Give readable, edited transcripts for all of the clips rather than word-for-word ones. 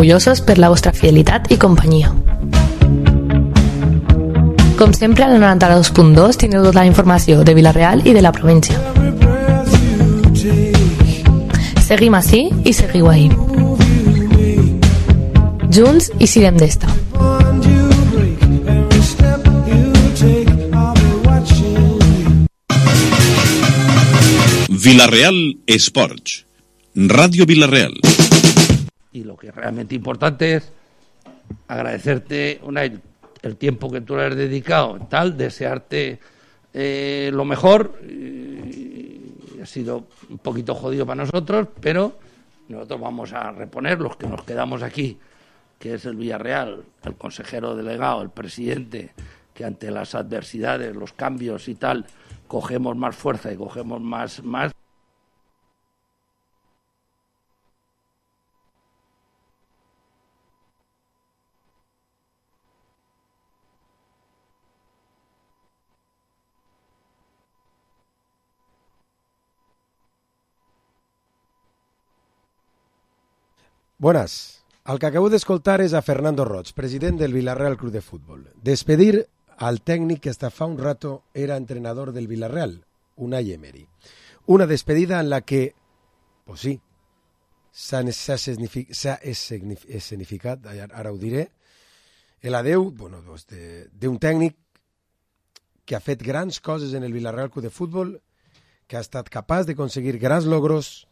orgullosos per la vostra fidelitat i companyia. Com sempre, al 92.2 tindreu tota la informació de Vila-real i de la província. Seguim ací i seguiu ahí. Junts i siguem d'esta. Vila-real Esports, Radio Vila-real. Y lo que es realmente importante es agradecerte el tiempo que tú le has dedicado, desearte lo mejor. Ha sido un poquito jodido para nosotros, pero nosotros vamos a reponer los que nos quedamos aquí, que es el Villarreal, el consejero delegado, el presidente, que ante las adversidades, los cambios y tal, cogemos más fuerza y cogemos más. Buenas. El que acabo d'escoltar és a Fernando Roig, president del Villarreal Club de Fútbol. Despedir al tècnic que hasta fa un rato era entrenador del Villarreal, Unai Emery. Una despedida en la que, pues sí, s'ha escenificat, ara ho diré, l'adeu d'un tècnic que ha fet grans coses en el Villarreal Club de Fútbol, que ha estat capaç d'aconseguir grans logros,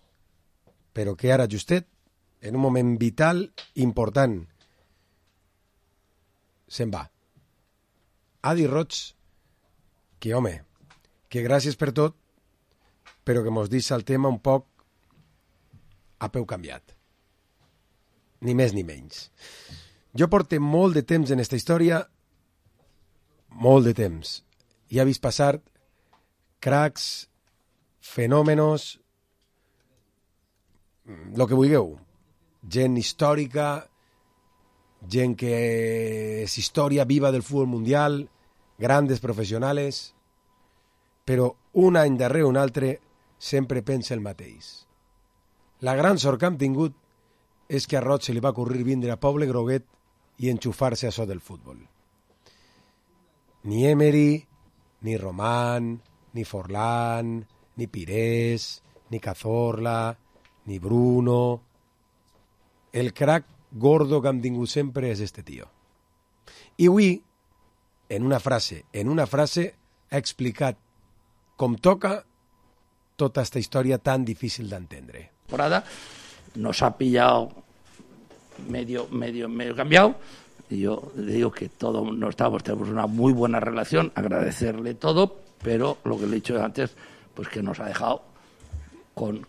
però que ara justet, en un moment vital important, se'n va. Ha dit Roig que, home, que gràcies per tot, però que mos deixa el tema un poc a peu canviat. Ni més ni menys. Jo porto molt de temps en esta història, molt de temps. I he vist passar cracs, fenòmenos, lo que vulgueu. Gent històrica, gent que és història viva del futbol mundial, grandes professionals, però un any darrere un altre sempre pensa el mateix. La gran sort que hem tingut és que a Roig se li va ocórrer vindre a Poble Groguet i enxufar-se a això del futbol. Ni Emery, ni Román, ni Forlán, ni Pires, ni Cazorla, ni Bruno. El crack gordo que hem tingut sempre és este tio. I avui, en una frase, ha explicat com toca tota esta història tan difícil d'entendre. Nos ha pillado medio cambiado, y yo le digo que todos tenemos una muy buena relación, agradecerle todo, pero lo que le he dicho antes, pues que nos ha dejado con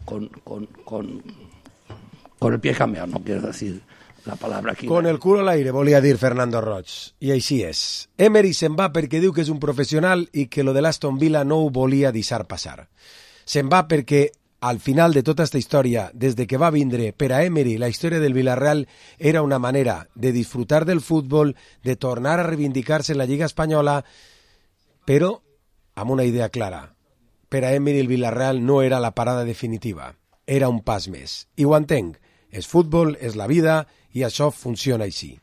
el pie cambiado, no quiero decir la palabra aquí. Con el culo al aire, volia dir Fernando Roig. I així és. Emery se'n va perquè diu que és un professional i que lo de l'Aston Villa no ho volia deixar passar. Se'n va perquè al final de tota aquesta història, des de que va vindre, per a Emery, la història del Villarreal era una manera de disfrutar del futbol, de tornar a reivindicar-se en la Lliga Espanyola, però amb una idea clara. Per a Emery el Villarreal no era la parada definitiva, era un pas més. I ho entenc. És futbol, és la vida, i això funciona així.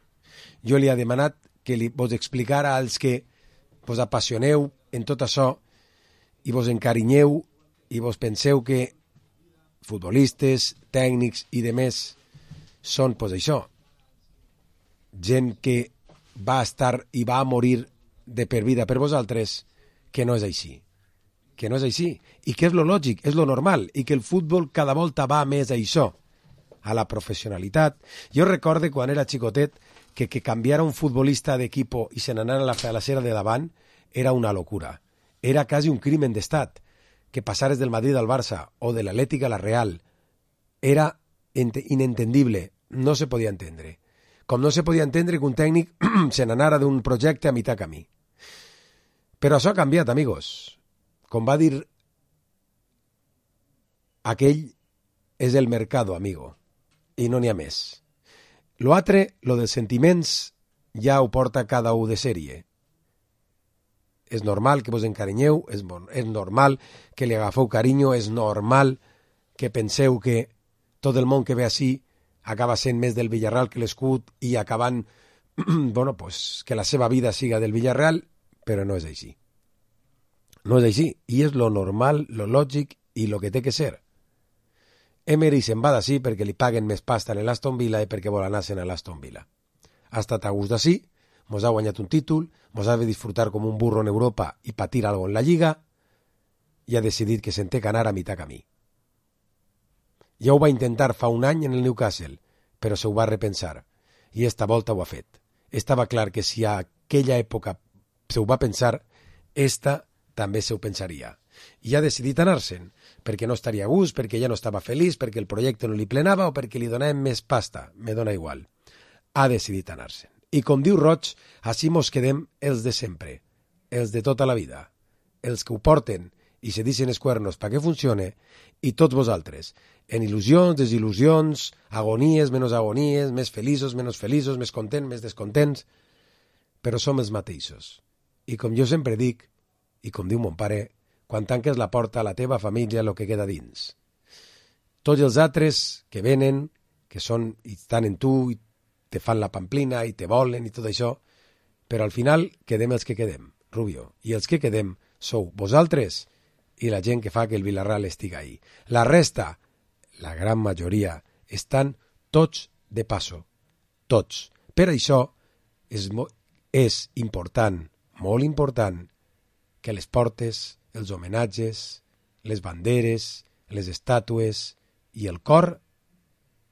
Jo li he demanat que vos explicara als que vos apassioneu en tot això i vos encarinyeu i vos penseu que futbolistes, tècnics i demés són, pues això, gent que va estar i va morir de per vida per vosaltres, que no és així. Que no és així. I que és lo lògic, és lo normal, i que el futbol cada volta va més a això, a la professionalitat. Jo recorde quan era xicotet que canviara un futbolista d'equip i se n'anara a la falacera de davant era una locura. Era quasi un crimen d'estat. Que passares del Madrid al Barça o de l'Atlètic a la Real era inentendible, no se podia entendre. Com no se podia entendre que un tècnic se n'anara d'un projecte a mitjà camí. Però això ha canviat, amigos. Com va dir aquell, és el mercado, amigo. I no n'hi ha més. Lo altre, lo dels sentiments, ja ho porta cada un de sèrie. És normal que vos encarinyeu, és normal que li agafeu carinyo, és normal que penseu que tot el món que ve així acaba sent més del Villarreal que l'escut i acabant bueno, pues, que la seva vida siga del Villarreal, però no és així. No és així, i és lo normal, lo lògic i lo que té que ser. Emery se'n va d'ací perquè li paguen més pasta en l'Aston Villa i perquè vol anar-se'n a l'Aston Villa. Ha estat a gust d'ací, mos ha guanyat un títol, mos ha de disfrutar com un burro en Europa i patir algo en la Lliga, i ha decidit que se'n té que anar a mitjà camí. Ja ho va intentar fa un any en el Newcastle, però se ho va repensar, i esta volta ho ha fet. Estava clar que si a aquella època se ho va pensar, esta també se ho pensaria. I ha decidit anar-se'n, perquè no estaria a gust, perquè ja no estava feliç, perquè el projecte no li plenava o perquè li donàvem més pasta, me dona igual. Ha decidit anar-se'n. I com diu Roig, així mos quedem els de sempre, els de tota la vida, els que ho porten i se deixen els cuernos perquè funcione, i tots vosaltres, en il·lusions, desil·lusions, agonies, menys agonies, més feliços, menys feliços, més contents, més descontents, però som els mateixos. I com jo sempre dic, i com diu mon pare, quan tanques la porta a la teva família el que queda dins. Tots els altres que venen, que són i estan en tu, i te fan la pamplina, i te volen, i tot això, però al final quedem els que quedem, Rubio, i els que quedem sou vosaltres i la gent que fa que el Villarreal estiga ahí. La resta, la gran majoria, estan tots de passo, tots. Per això és important, molt important, que les portes, els homenatges, les banderes, les estàtues i el cor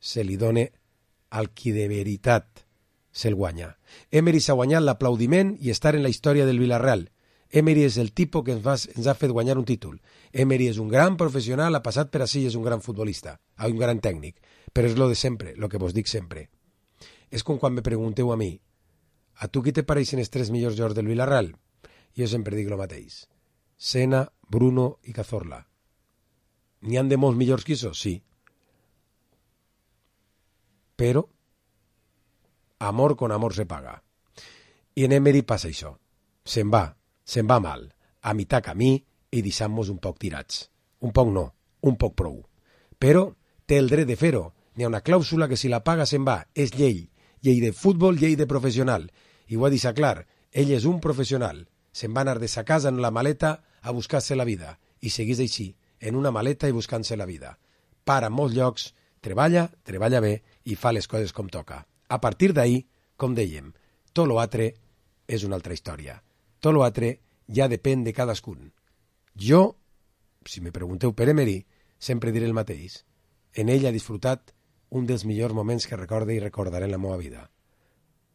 se li done al qui de veritat se'l guanya. Emery s'ha guanyat l'aplaudiment i estar en la història del Villarreal. Emery és el tipus que ens ha fet guanyar un títol. Emery és un gran professional, ha passat per ací i és un gran futbolista, un gran tècnic, però és lo de sempre, lo que vos dic sempre. És com quan me pregunteu a mi, a tu qui te pareixen els 3 millors jugadors del Villarreal? Jo sempre dic lo mateix. Sena, Bruno i Cazorla. N'hi han de molts millors que això? Sí. Però amor con amor se paga. I en Emery passa això. Se'n va mal, a mitjà camí i deixant-nos un poc tirats. Un poc no, un poc prou. Però té el dret de fer-ho. N'hi ha una clàusula que si la paga se'n va. És llei. Llei de futbol, llei de professional. I ho ha deixat clar. Ell és un professional. Se'n va anar de sa casa en la maleta a buscar-se la vida. I segueix així, en una maleta i buscant-se la vida. Para en molts llocs, treballa bé i fa les coses com toca. A partir d'ahir, com dèiem, tot l'altre és una altra història. Tot l'altre ja depèn de cadascun. Jo, si me pregunteu per Emery, sempre diré el mateix. En ell ha disfrutat un dels millors moments que recorde i recordaré en la meva vida.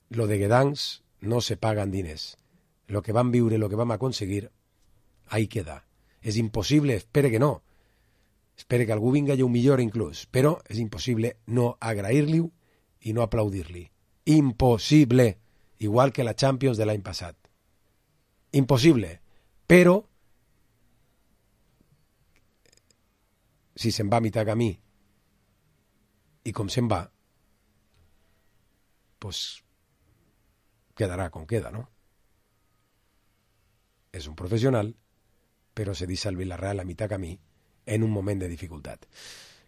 Lo de Guedancs no se paga en diners. Lo que vam viure, lo que vam aconseguir, ahí queda. És impossible, espere que no. Espere que algú vinga i ho millore inclús, però és impossible no agrair-li i no aplaudir-li. Impossible, igual que la Champions de l'any passat. Impossible, però si se'n va a mitjà camí i com se'n va, pues quedarà com queda, no? És un professional, però se deixa el Villarreal a mitjà camí en un moment de dificultat.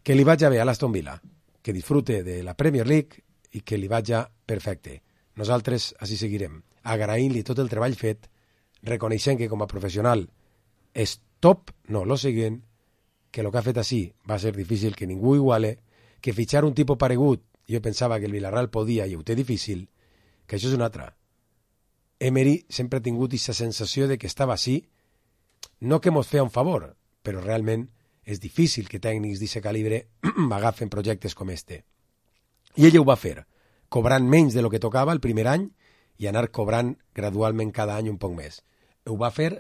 Que li vagi bé a l'Aston Villa, que disfrute de la Premier League i que li vagi perfecte. Nosaltres així seguirem, agraint-li tot el treball fet, reconeixent que com a professional és top, no, lo seguint, que el que ha fet així va ser difícil que ningú iguale, que fitxar un tipus paregut, jo pensava que el Villarreal podia i ho té difícil, que això és una altra. Emery sempre ha tingut aquesta sensació de que estava així, no que mos feia un favor, però realment és difícil que tècnics d'aquest calibre agafen projectes com este. I ell ho va fer, cobrant menys de lo que tocava el primer any i anar cobrant gradualment cada any un poc més. Ho va fer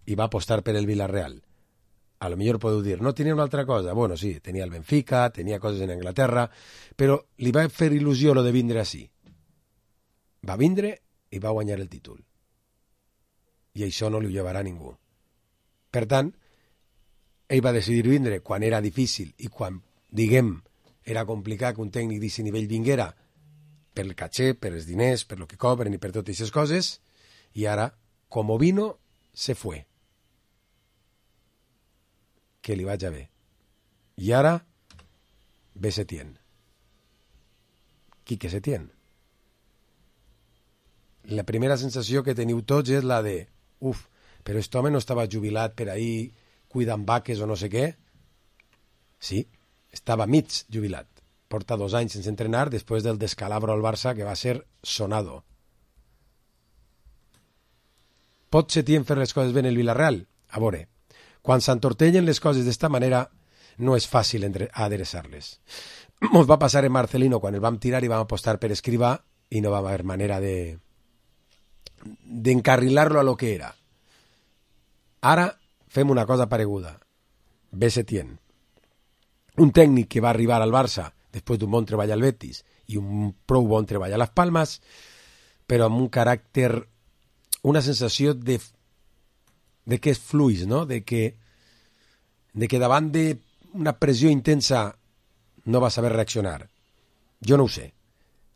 i va apostar per el Villarreal. A lo millor podeu dir, no tenia una altra cosa? Bueno, sí, tenia el Benfica, tenia coses en Anglaterra, però li va fer il·lusió lo de vindre així. Va vindre i va guanyar el títol. I això no li ho llevarà ningú. Per tant, ell va decidir vindre quan era difícil i quan, diguem, era complicat que un tècnic d'aquest nivell vinguera per el caché, per els diners, per lo que cobren i per totes aquestes coses, i ara, com vino, se fue. Que li vagi bé. I ara, ve Setién. Quique Setién. La primera sensació que teniu tots és la de però aquest home no estava jubilat per ahir cuidant vaques o no sé què? Sí, estava mig jubilat. Porta 2 anys sense entrenar després del descalabro al Barça que va ser sonado. Pot Setién fer les coses bé en el Villarreal? A veure, quan s'entortellen les coses d'esta manera no és fàcil adereçar-les. Ens va passar en Marcelino quan el vam tirar i vam apostar per Escrivà i no va haver manera d'encarrilar-lo a lo que era. Ara fem una cosa pareguda. Ve Setién. Un tècnic que va arribar al Barça després d'un bon treball al Betis i un prou bon treball a Las Palmas, però amb un caràcter, una sensació de que és fluix, no? de que davant d'una pressió intensa no va saber reaccionar. Jo no ho sé.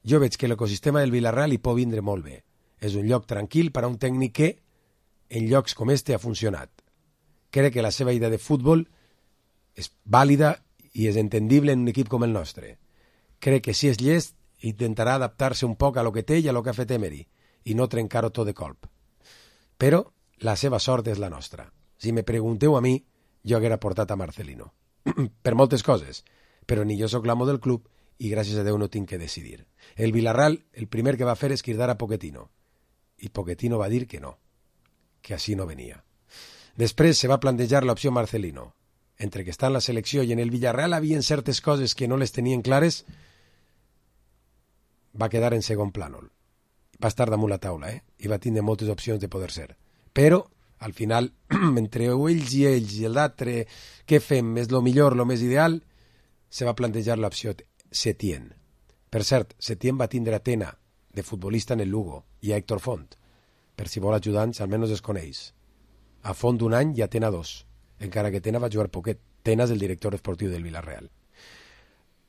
Jo veig que l'ecosistema del Villarreal hi pot vindre molt bé. És un lloc tranquil per a un tècnic que en llocs com este ha funcionat. Crec que la seva idea de futbol és vàlida i és entendible en un equip com el nostre. Crec que si és llest intentarà adaptar-se un poc a lo que té i a lo que ha fet Emery i no trencar-ho tot de colp. Però la seva sort és la nostra. Si me pregunteu a mi, jo haguera portat a Marcelino. Per moltes coses, però ni jo sóc l'amo del club i gràcies a Déu no tinc que decidir. El Villarreal el primer que va fer és cridar a Pochettino i Pochettino va dir que no, que així no venia. Després se va plantejar l'opció Marcelino. Entre que està en la selecció i en el Villarreal havien certes coses que no les tenien clares, va quedar en segon plànol. Va estar damunt la taula, i va tindre moltes opcions de poder ser. Però, al final, entre ells i l'altre, què fem? És lo millor, lo més ideal? Se va plantejar l'opció Setién. Per cert, Setién va tindre a Tena, de futbolista en el Lugo, i a Héctor Font. Per si vol ajudants, almenys es coneix. A Font un any i a Tena 2. Encara que Tena va jugar poquet. Tena és el director esportiu del Villarreal.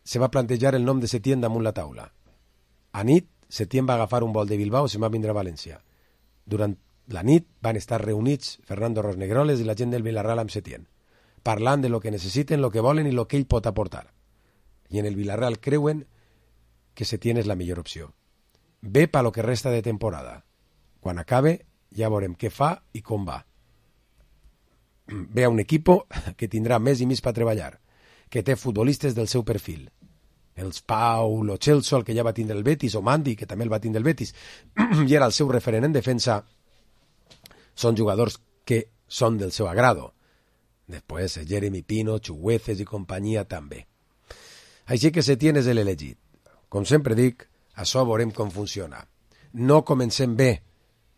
Se va plantejar el nom de Setién damunt la taula. A nit, Setién va agafar un vol de Bilbao i se'n va vindre a València. Durant la nit van estar reunits Fernando Rosnegroles i la gent del Villarreal amb Setién, parlant de lo que necessiten, lo que volen i lo que ell pot aportar. I en el Villarreal creuen que Setién és la millor opció. Ve pa lo que resta de temporada. Quan acabe, ja veurem què fa i com va. Ve a un equipo que tindrà més i més per treballar, que té futbolistes del seu perfil. Els Pau, lo Celso, el que ja va tindre el Betis, o Mandi, que també el va tindre el Betis, i era el seu referent en defensa, són jugadors que són del seu agrado. Després, Jeremy Pino, Chugueces i companyia també. Així que Setién és l'elegit. Com sempre dic, això veurem com funciona. No comencem bé,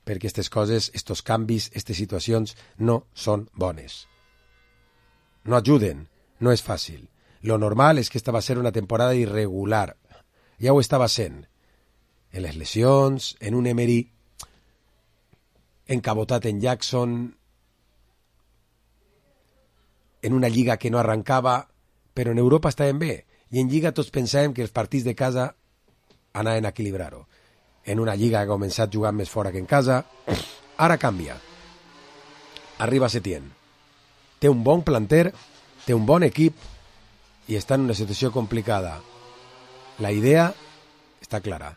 perquè aquestes coses, estos canvis, aquestes situacions no són bones. No ajuden, no és fàcil. Lo normal és que esta va ser una temporada irregular. Ja ho estava sent. En les lesions, en un Emery encabotat en Jackson, en una lliga que no arrancava, però en Europa estàvem bé. I en lliga tots pensàvem que els partits de casa anaven a equilibrar-ho. En una lliga que ha començat jugant més fora que en casa. Ara canvia. Arriba Setién. Té un bon planter, té un bon equip i està en una situació complicada. La idea està clara.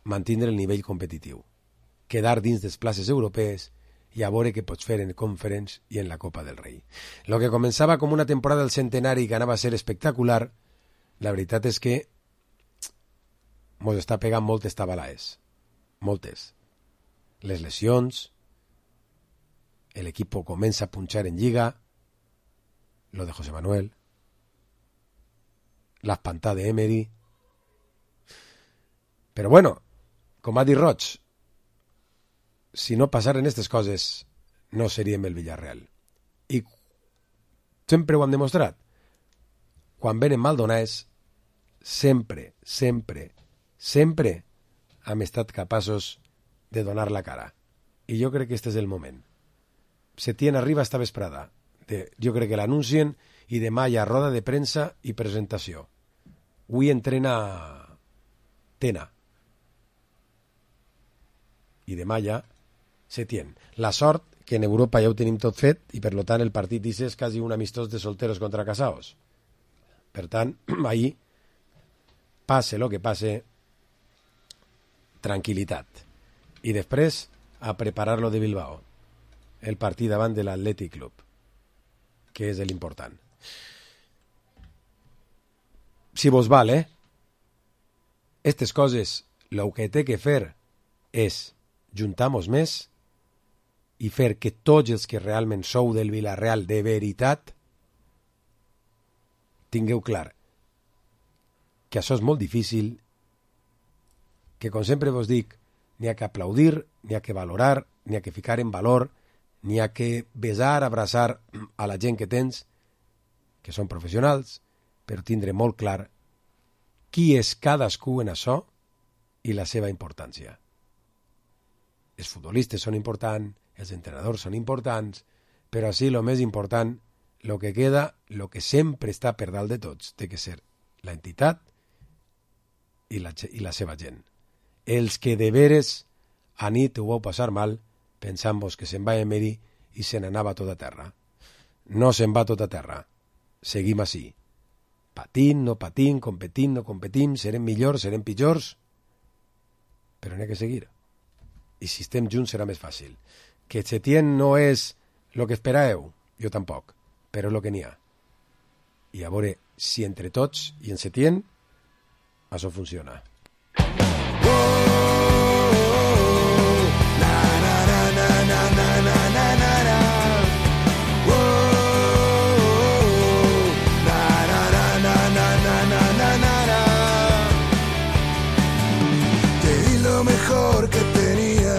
Mantindre el nivell competitiu. Quedar dins des places europees i a veure què pots fer en Conference i en la Copa del Rei. Lo que començava com una temporada del centenari que anava a ser espectacular, la veritat és que mos està pegant moltes tabalaes. Moltes. Les lesions, l'equip comença a punxar en lliga, lo de José Manuel, l'espantada d'Emery. Però bueno, com ha dit Roig, si no passaren aquestes coses, no seríem el Villarreal. I sempre ho hem demostrat. Quan venen maldonats, sempre hem estat capaços de donar la cara. I jo crec que este és el moment. Setién arriba esta vesprada. Jo crec que l'anuncien i demà hi ha roda de premsa i presentació. Avui entrena Tena. I demà ja Setién. La sort que en Europa ja ho tenim tot fet i per tant el partit és quasi un amistós de solteros contra casados. Per tant, ahir pase lo que pase, tranquil·litat. I després a preparar-lo de Bilbao, el partit davant de l'Atlètic Club, que és l'important. Si vos val, Estes coses, el que té que fer és juntar-nos més i fer que tots els que realment sou del Villarreal de veritat tingueu clar que això és molt difícil, que com sempre vos dic, n'hi ha que aplaudir, n'hi ha que valorar, n'hi ha que ficar en valor, n'hi ha que besar, abraçar a la gent que tens, que són professionals, però tindre molt clar qui és cadascú en això i la seva importància. Els futbolistes són importants, els entrenadors són importants, però així el més important, el que queda, el que sempre està per dalt de tots, té que ser l'entitat i la seva gent. Els que de veres a nit ho vau passar mal, pensant-vos que se'n va Emery i se n'anava tot a terra. No se'n va tot a terra. Seguim així. Patint, no patint, competint, no competim, serem millors, serem pitjors, però n'hi ha que seguir. I si estem junts serà més fàcil. Que Setién no és el que esperàveu, jo tampoc, però és el que n'hi ha. I a veure si entre tots i en Setién això funciona. Te di lo mejor que tenía,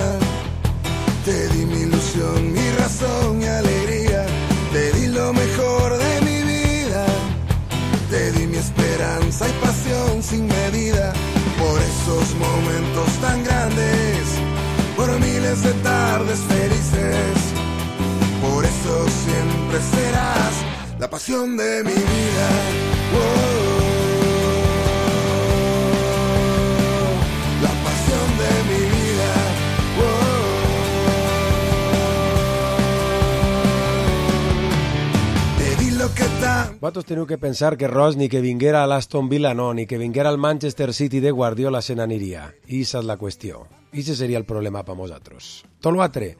te di mi ilusión, mi razón, mi alegría, te di lo mejor de mi vida, te di mi esperanza y pasión sin medida, por esos momentos tan grandes, por miles de tardes felices, por eso siempre serás la pasión de mi vida. La pasión de mi vida. Te di lo que tan... Vosaltres teniu que pensar que Ross ni que vinguera a l'Aston Villa no, ni que vinguera al Manchester City de Guardiola se n'aniria. I aquesta és la qüestió. I aquest seria el problema per nosaltres. Tot l'altre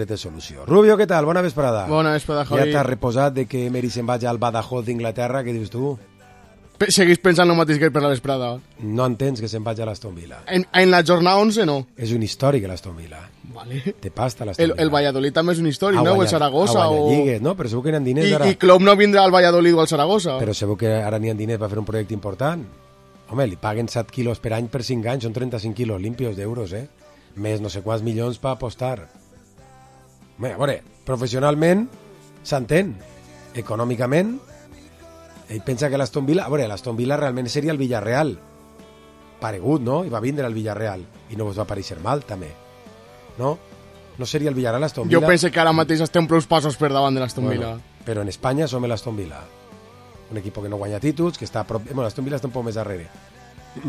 té solució. Rubio, què tal? Bona vesprada. Bona vesprada, Javi. Ja t'has reposat de que Emery se'n vagi al Badajoz d'Inglaterra, què dius tu? Seguís pensant el mateix que per la vesprada. No entens que se'n vagi a l'Aston Villa. En la jornada 11 no. És un històric l'Aston Villa. Vale. Te pasta l'Aston Villa. El Valladolid també és un històric, no? O el Saragossa. Lligues, no? Però segur que n'hi ha diners ara. I Klopp no vindrà al Valladolid o al Saragossa. Però segur que ara n'hi ha diners per fer un projecte important. Home, li paguen 7 quilos per any per 5 anys, són 35 quilos limpios d'euros, Més no sé quants milions per apostar. Home, a veure, professionalment s'entén. Econòmicament, ell pensa que l'Aston Villa... A veure, l'Aston Villa realment seria el Villarreal. Paregut, no? I va vindre al Villarreal. I no vos va pareixer mal, també. No? No seria el Villarreal l'Aston Villa? Jo penso que ara mateix estem prou passos per davant de l'Aston Villa. Però en Espanya som l'Aston Villa. Un equip que no guanya títols, que està a prop... Bueno, l'Aston Villa està un poc més darrere.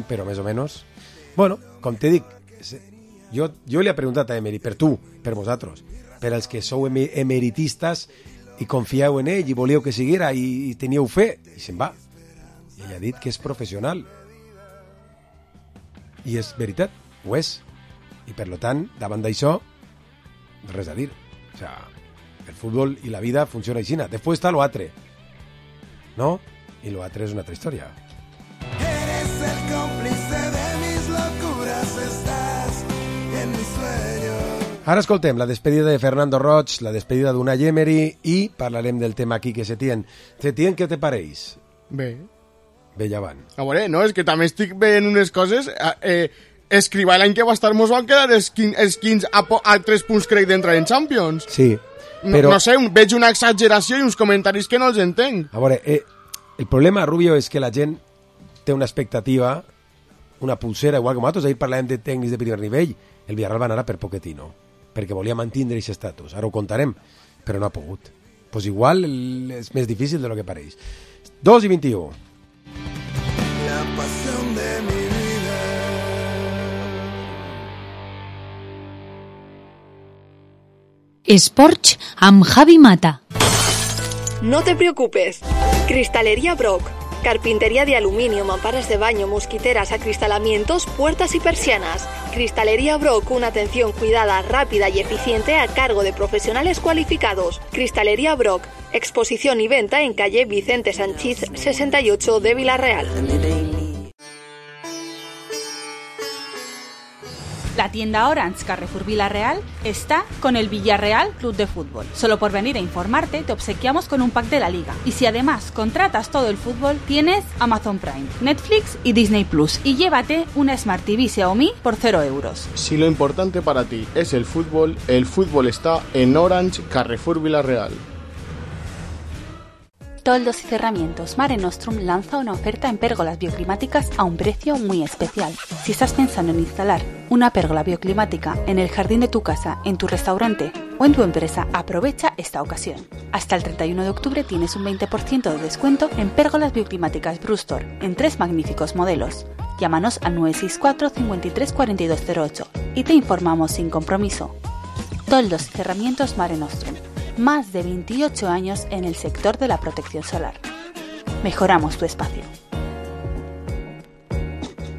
Però més o menys... Bueno, com te dic, jo li he preguntat a Emery, per tu, per vosaltres, per als que sou emeritistes i confieu en ell i volíeu que siguera i teníeu fe, i se'n va. I ell ha dit que és professional. I és veritat, ho és. I per tant, davant d'això, res a dir. O sea, el futbol i la vida funciona així. Després està l'altre, ¿no? I l'altre és una altra història. Eres el cómplice de mis locuras, estás en mis sueños. Ara escoltem la despedida de Fernando Roig, la despedida d'Unai Emery i parlarem del tema aquí que Setién. Setién, què te pareix? Bé. Bé, ja van. A veure, no, és que també estic veient unes coses... Escrivà l'any que va estar mos van quedar els 15 a 3 punts crec d'entrar en Champions. Sí, però... No sé, veig una exageració i uns comentaris que no els entenc. A veure, el problema, Rubio, és que la gent té una expectativa, una pulsera, igual que nosaltres, ahir parlàvem de tècnics de primer nivell, el Villarreal va anar per Pochettino, perquè volia mantenir aquest estatus. Ara ho contarem, però no ha pogut. Pues igual és més difícil de lo que pareix. 2:21. La pasión de mi vida. Esports amb Javi Mata. No te preocupes. Cristalería Brock. Carpintería de aluminio, mamparas de baño, mosquiteras, acristalamientos, puertas y persianas. Cristalería Brock, una atención cuidada, rápida y eficiente a cargo de profesionales cualificados. Cristalería Brock, exposición y venta en calle Vicente Sanchís 68 de Vila-real. La tienda Orange Carrefour Vila-real está con el Villarreal Club de Fútbol. Solo por venir a informarte te obsequiamos con un pack de la liga. Y si además contratas todo el fútbol, tienes Amazon Prime, Netflix y Disney Plus. Y llévate una Smart TV Xiaomi por 0 euros. Si lo importante para ti es el fútbol está en Orange Carrefour Vila-real. Toldos y Cerramientos Mare Nostrum lanza una oferta en pérgolas bioclimáticas a un precio muy especial. Si estás pensando en instalar una pérgola bioclimática en el jardín de tu casa, en tu restaurante o en tu empresa, aprovecha esta ocasión. Hasta el 31 de octubre tienes un 20% de descuento en pérgolas bioclimáticas Brustor en 3 magníficos modelos. Llámanos al 964 53 4208 y te informamos sin compromiso. Toldos y Cerramientos Mare Nostrum. Más de 28 años en el sector de la protección solar. Mejoramos tu espacio.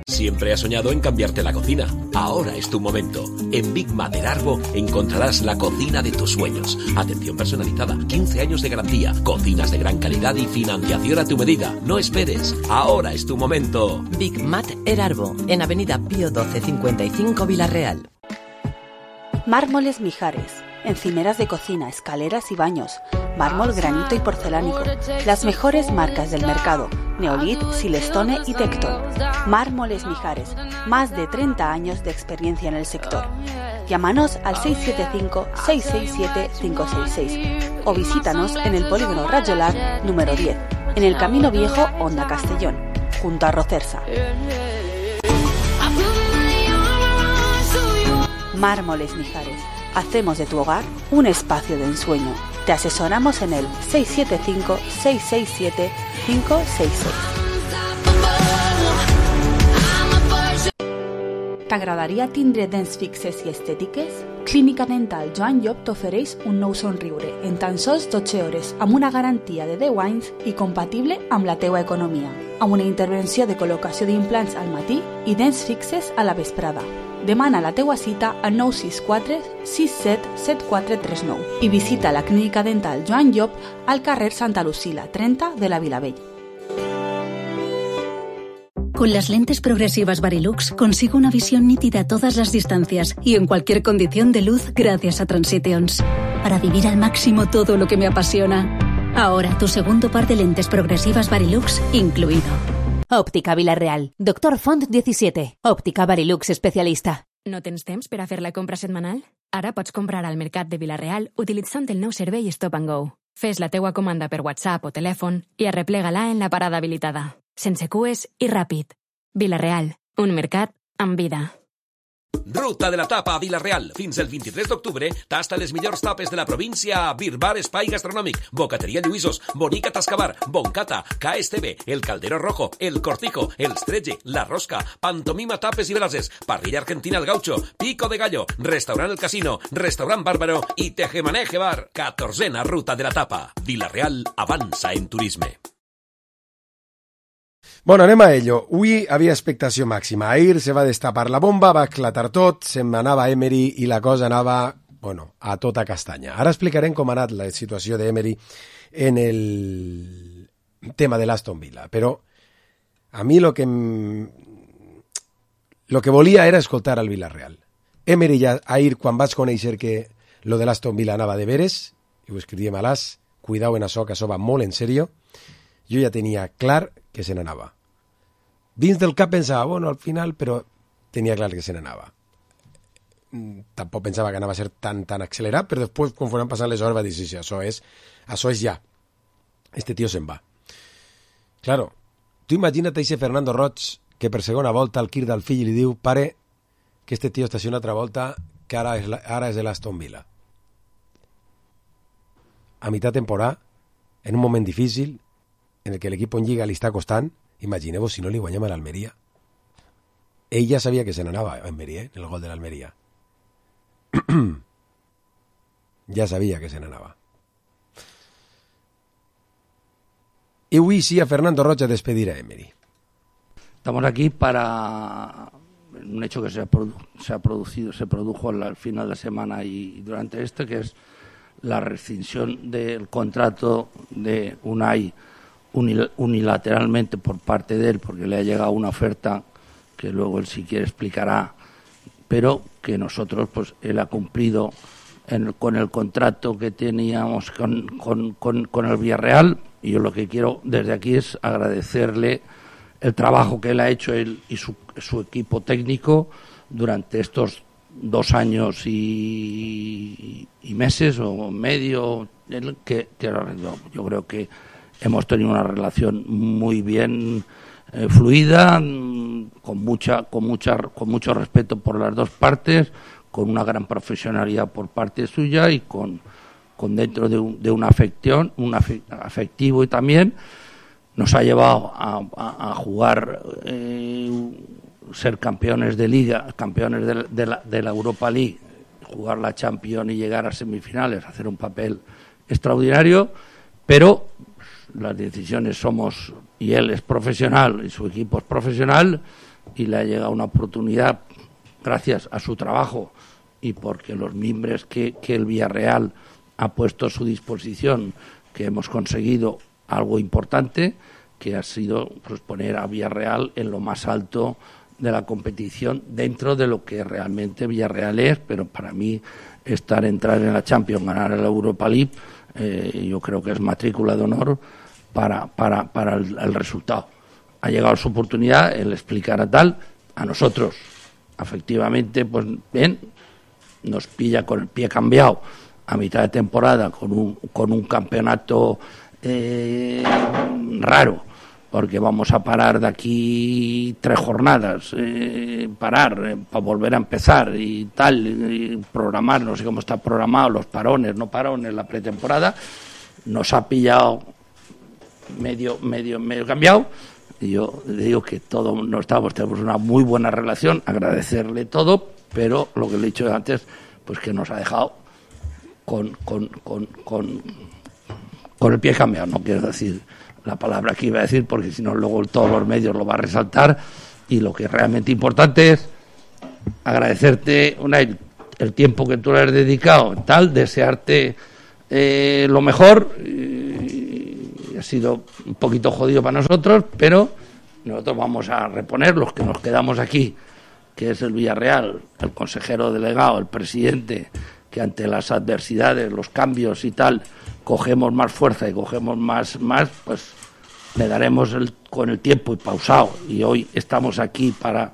Siempre has soñado en cambiarte la cocina. Ahora es tu momento. En Big Mat Erarbo encontrarás la cocina de tus sueños. Atención personalizada, 15 años de garantía, cocinas de gran calidad y financiación a tu medida. No esperes. Ahora es tu momento. Big Mat Erarbo, en Avenida Pío 12 55 Vila-real. Mármoles Mijares. Encimeras de cocina, escaleras y baños, mármol, granito y porcelánico. Las mejores marcas del mercado: Neolit, Silestone y Tecton. Mármoles Mijares, más de 30 años de experiencia en el sector. Llámanos al 675-667-566 o visítanos en el Polígono Rayolar número 10, en el Camino Viejo, Honda Castellón, junto a Rocersa. Mármoles Mijares. Hacemos de tu hogar un espacio de ensueño. Te asesoramos en el 675-667-566. T'agradaria tindre dents fixes i estètiques? Clínica Dental Joan Llop t'ofereix un nou somriure en tan sols 12 hores, amb una garantia de 10 anys i compatible amb la teua economia, amb una intervenció de col·locació d'implants al matí i dents fixes a la vesprada. Demana la teua cita al 964 67 7439 i visita la Clínica Dental Joan Llop al carrer Santa Lucila 30 de la Vilavell. Con las lentes progresivas Varilux consigo una visión nítida a todas las distancias y en cualquier condición de luz gracias a Transitions. Para vivir al máximo todo lo que me apasiona. Ahora tu segundo par de lentes progresivas Varilux incluido. Òptica Vila-real. Doctor Font 17. Òptica Varilux especialista. No tens temps per a fer la compra setmanal? Ara pots comprar al Mercat de Vila-real utilitzant el nou servei Stop and Go. Fes la teua comanda per WhatsApp o telèfon i arreplega-la en la parada habilitada. Sense cues i ràpid. Vila-real. Un mercat amb vida. Ruta de la Tapa a Vila-real. Fins el 23 d'octubre tasta les millors tapes de la província a Birbar Espai Gastronòmic, Bocateria Lluïsos, Bonica Tascabar, Boncata, KSTV, El Caldero Rojo, El Cortijo, El Stretge, La Rosca, Pantomima Tapes i Brases, Parrilla Argentina El Gaucho, Pico de Gallo, Restaurant El Casino, Restaurant Bàrbaro i Tejemaneje Bar. 14a Ruta de la Tapa. Vila-real avança en turisme. Bueno, anem a ello. Avui havia expectació màxima. Ahir se va destapar la bomba, va esclatar tot, se'n anava Emery i la cosa anava, bueno, a tota castanya. Ara explicarem com ha anat la situació d'Emery en el tema de l'Aston Villa, però a mi lo que volia era escoltar al Villarreal. Emery ja ahir, quan vaig conèixer que lo de l'Aston Villa anava de veres, i ho escrivíem a l'As, cuidao en això, que això va molt en serio, jo ja tenia clar que se n'anava. Dins del cap pensava, bueno, al final, però tenia clar que se n'anava. Tampoc pensava que anava a ser tan accelerat, però després, quan foren passant les hores, va dir, sí, això és ja. Este tío se'n va. Claro, tu imagina't a Fernando Roig, que per segona volta al crida al fill i li diu, pare, que este tío està una altra volta, que ara és de l'Aston Villa. A mitad temporada, en un moment difícil, en el que l'equip en Lliga li està costant, imagineu-vos si no li guanyem a l'Almeria. Ell ja sabia que se n'anava a Almeria, en el gol de l'Almeria. Ja sabia que se n'anava. Y hoy sí a Fernando Roig a despedir a Emery. Estamos aquí para un hecho que se produjo al final de semana y durante que es la rescisión del contrato de Unai unilateralmente por parte de él, porque le ha llegado una oferta que luego él si quiere explicará, pero que nosotros, pues él ha cumplido con el contrato que teníamos con el Villarreal, y yo lo que quiero desde aquí es agradecerle el trabajo que él ha hecho él y su equipo técnico durante estos 2 años y meses o medio que yo creo que hemos tenido una relación muy bien fluida, con mucho respeto por las dos partes, con una gran profesionalidad por parte suya y con dentro de una afección, afectivo, y también nos ha llevado a jugar, ser campeones de Liga, campeones de la Europa League, jugar la Champions y llegar a semifinales, hacer un papel extraordinario, pero las decisiones somos, y él es profesional y su equipo es profesional, y le ha llegado una oportunidad gracias a su trabajo y porque los mimbres que el Villarreal ha puesto a su disposición, que hemos conseguido algo importante, que ha sido pues poner a Villarreal en lo más alto de la competición dentro de lo que realmente Villarreal es, pero para mí entrar en la Champions, ganar la Europa League, yo creo que es matrícula de honor para el resultado. Ha llegado su oportunidad, él explicará tal, a nosotros, efectivamente, pues bien, nos pilla con el pie cambiado a mitad de temporada con un campeonato raro, porque vamos a parar de aquí 3 jornadas, para volver a empezar y tal, y programar, no sé cómo está programado, los parones, no parones, la pretemporada, nos ha pillado medio cambiado, y yo le digo que tenemos una muy buena relación, agradecerle todo, pero lo que le he dicho antes, pues que nos ha dejado con el pie cambiado, no quiero decir la palabra que iba a decir, porque si no luego todos los medios lo va a resaltar, y lo que es realmente importante es agradecerte el tiempo que tú le has dedicado, tal, desearte lo mejor, y ha sido un poquito jodido para nosotros, pero nosotros vamos a reponer los que nos quedamos aquí, que es el Villarreal, el consejero delegado, el presidente, que ante las adversidades, los cambios y tal, cogemos más fuerza y cogemos más, pues le daremos con el tiempo y pausado. Y hoy estamos aquí para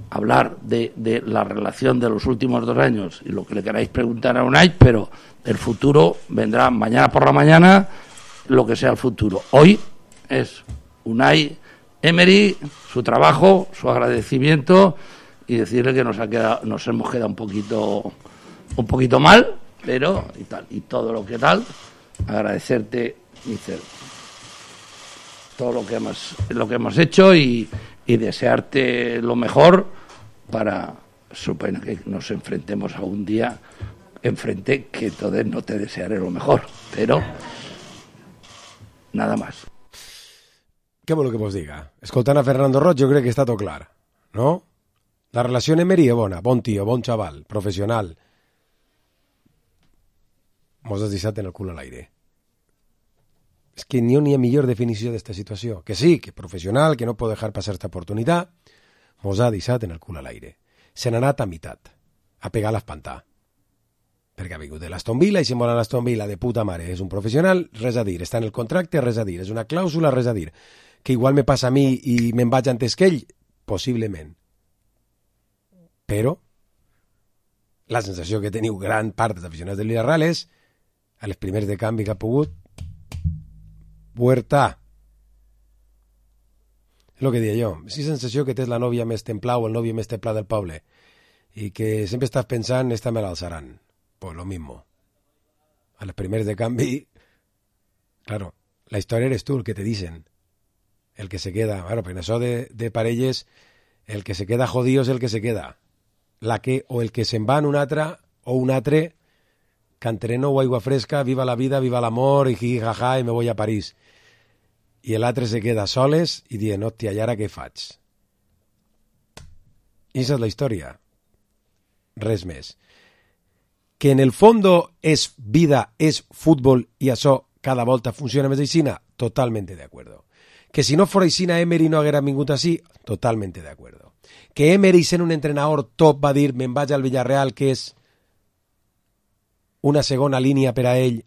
hablar de la relación de los últimos 2 años y lo que le queráis preguntar a Unai, pero el futuro vendrá mañana por la mañana, lo que sea el futuro. Hoy es Unai Emery, su trabajo, su agradecimiento, y decirle que nos hemos quedado un poquito mal, pero y tal, y todo lo que tal, agradecerte, Mister, todo lo que hemos hecho y desearte lo mejor para, supongo que nos enfrentemos a un día enfrente, que entonces no te desearé lo mejor, pero nada más. Què vol que vos diga? Escoltant a Fernando Roig, jo crec que està tot clar, no? La relació Emery és bona, bon tio, bon xaval, professional. Mos has deixat en el cul a l'aire. És que ni ha millor definició d'esta situació. Que sí, que professional, que no pot dejar passar esta oportunitat, mos ha deixat en el cul a l'aire. Se n'ha anat a meitat, a pegar l'espantà. Perquè ha vingut de l'Aston Villa i si mola l'Aston Villa de puta mare. És un professional, res a dir. Està en el contracte, res a dir. És una clàusula, res a dir. Que igual me passa a mi i me'n vaig antes que ell, possiblement. Però la sensació que teniu gran part dels aficionats del Villarreal és, a les primers de canvi que ha pogut, Huerta. És el que deia jo. És la sensació que tens la nòvia més templada o el nòvio més templà del poble i que sempre estàs pensant, esta me l'alçaran. Pues lo mismo. A les primers de canvi, claro, la història eres tu, el que te dicen. El que se queda, bueno, perquè en això de parelles, el que se queda jodido és el que se queda. O el que se'n va en un altre, o un altre, cantereno o aigua fresca, viva la vida, viva l'amor, i jaja, i me voy a París. i l'altre se queda soles i dient, hòstia, i ara què faig? I esa és la història. Res més. Que en el fondo és vida, és futbol, i això cada volta funciona més aixina, totalmente de acuerdo. Que si no fora aixina Emery no haguera vingut així, totalmente de acuerdo. Que Emery, sent un entrenador top, va dir, me'n vaig al Villarreal, que és una segona línia per a ell,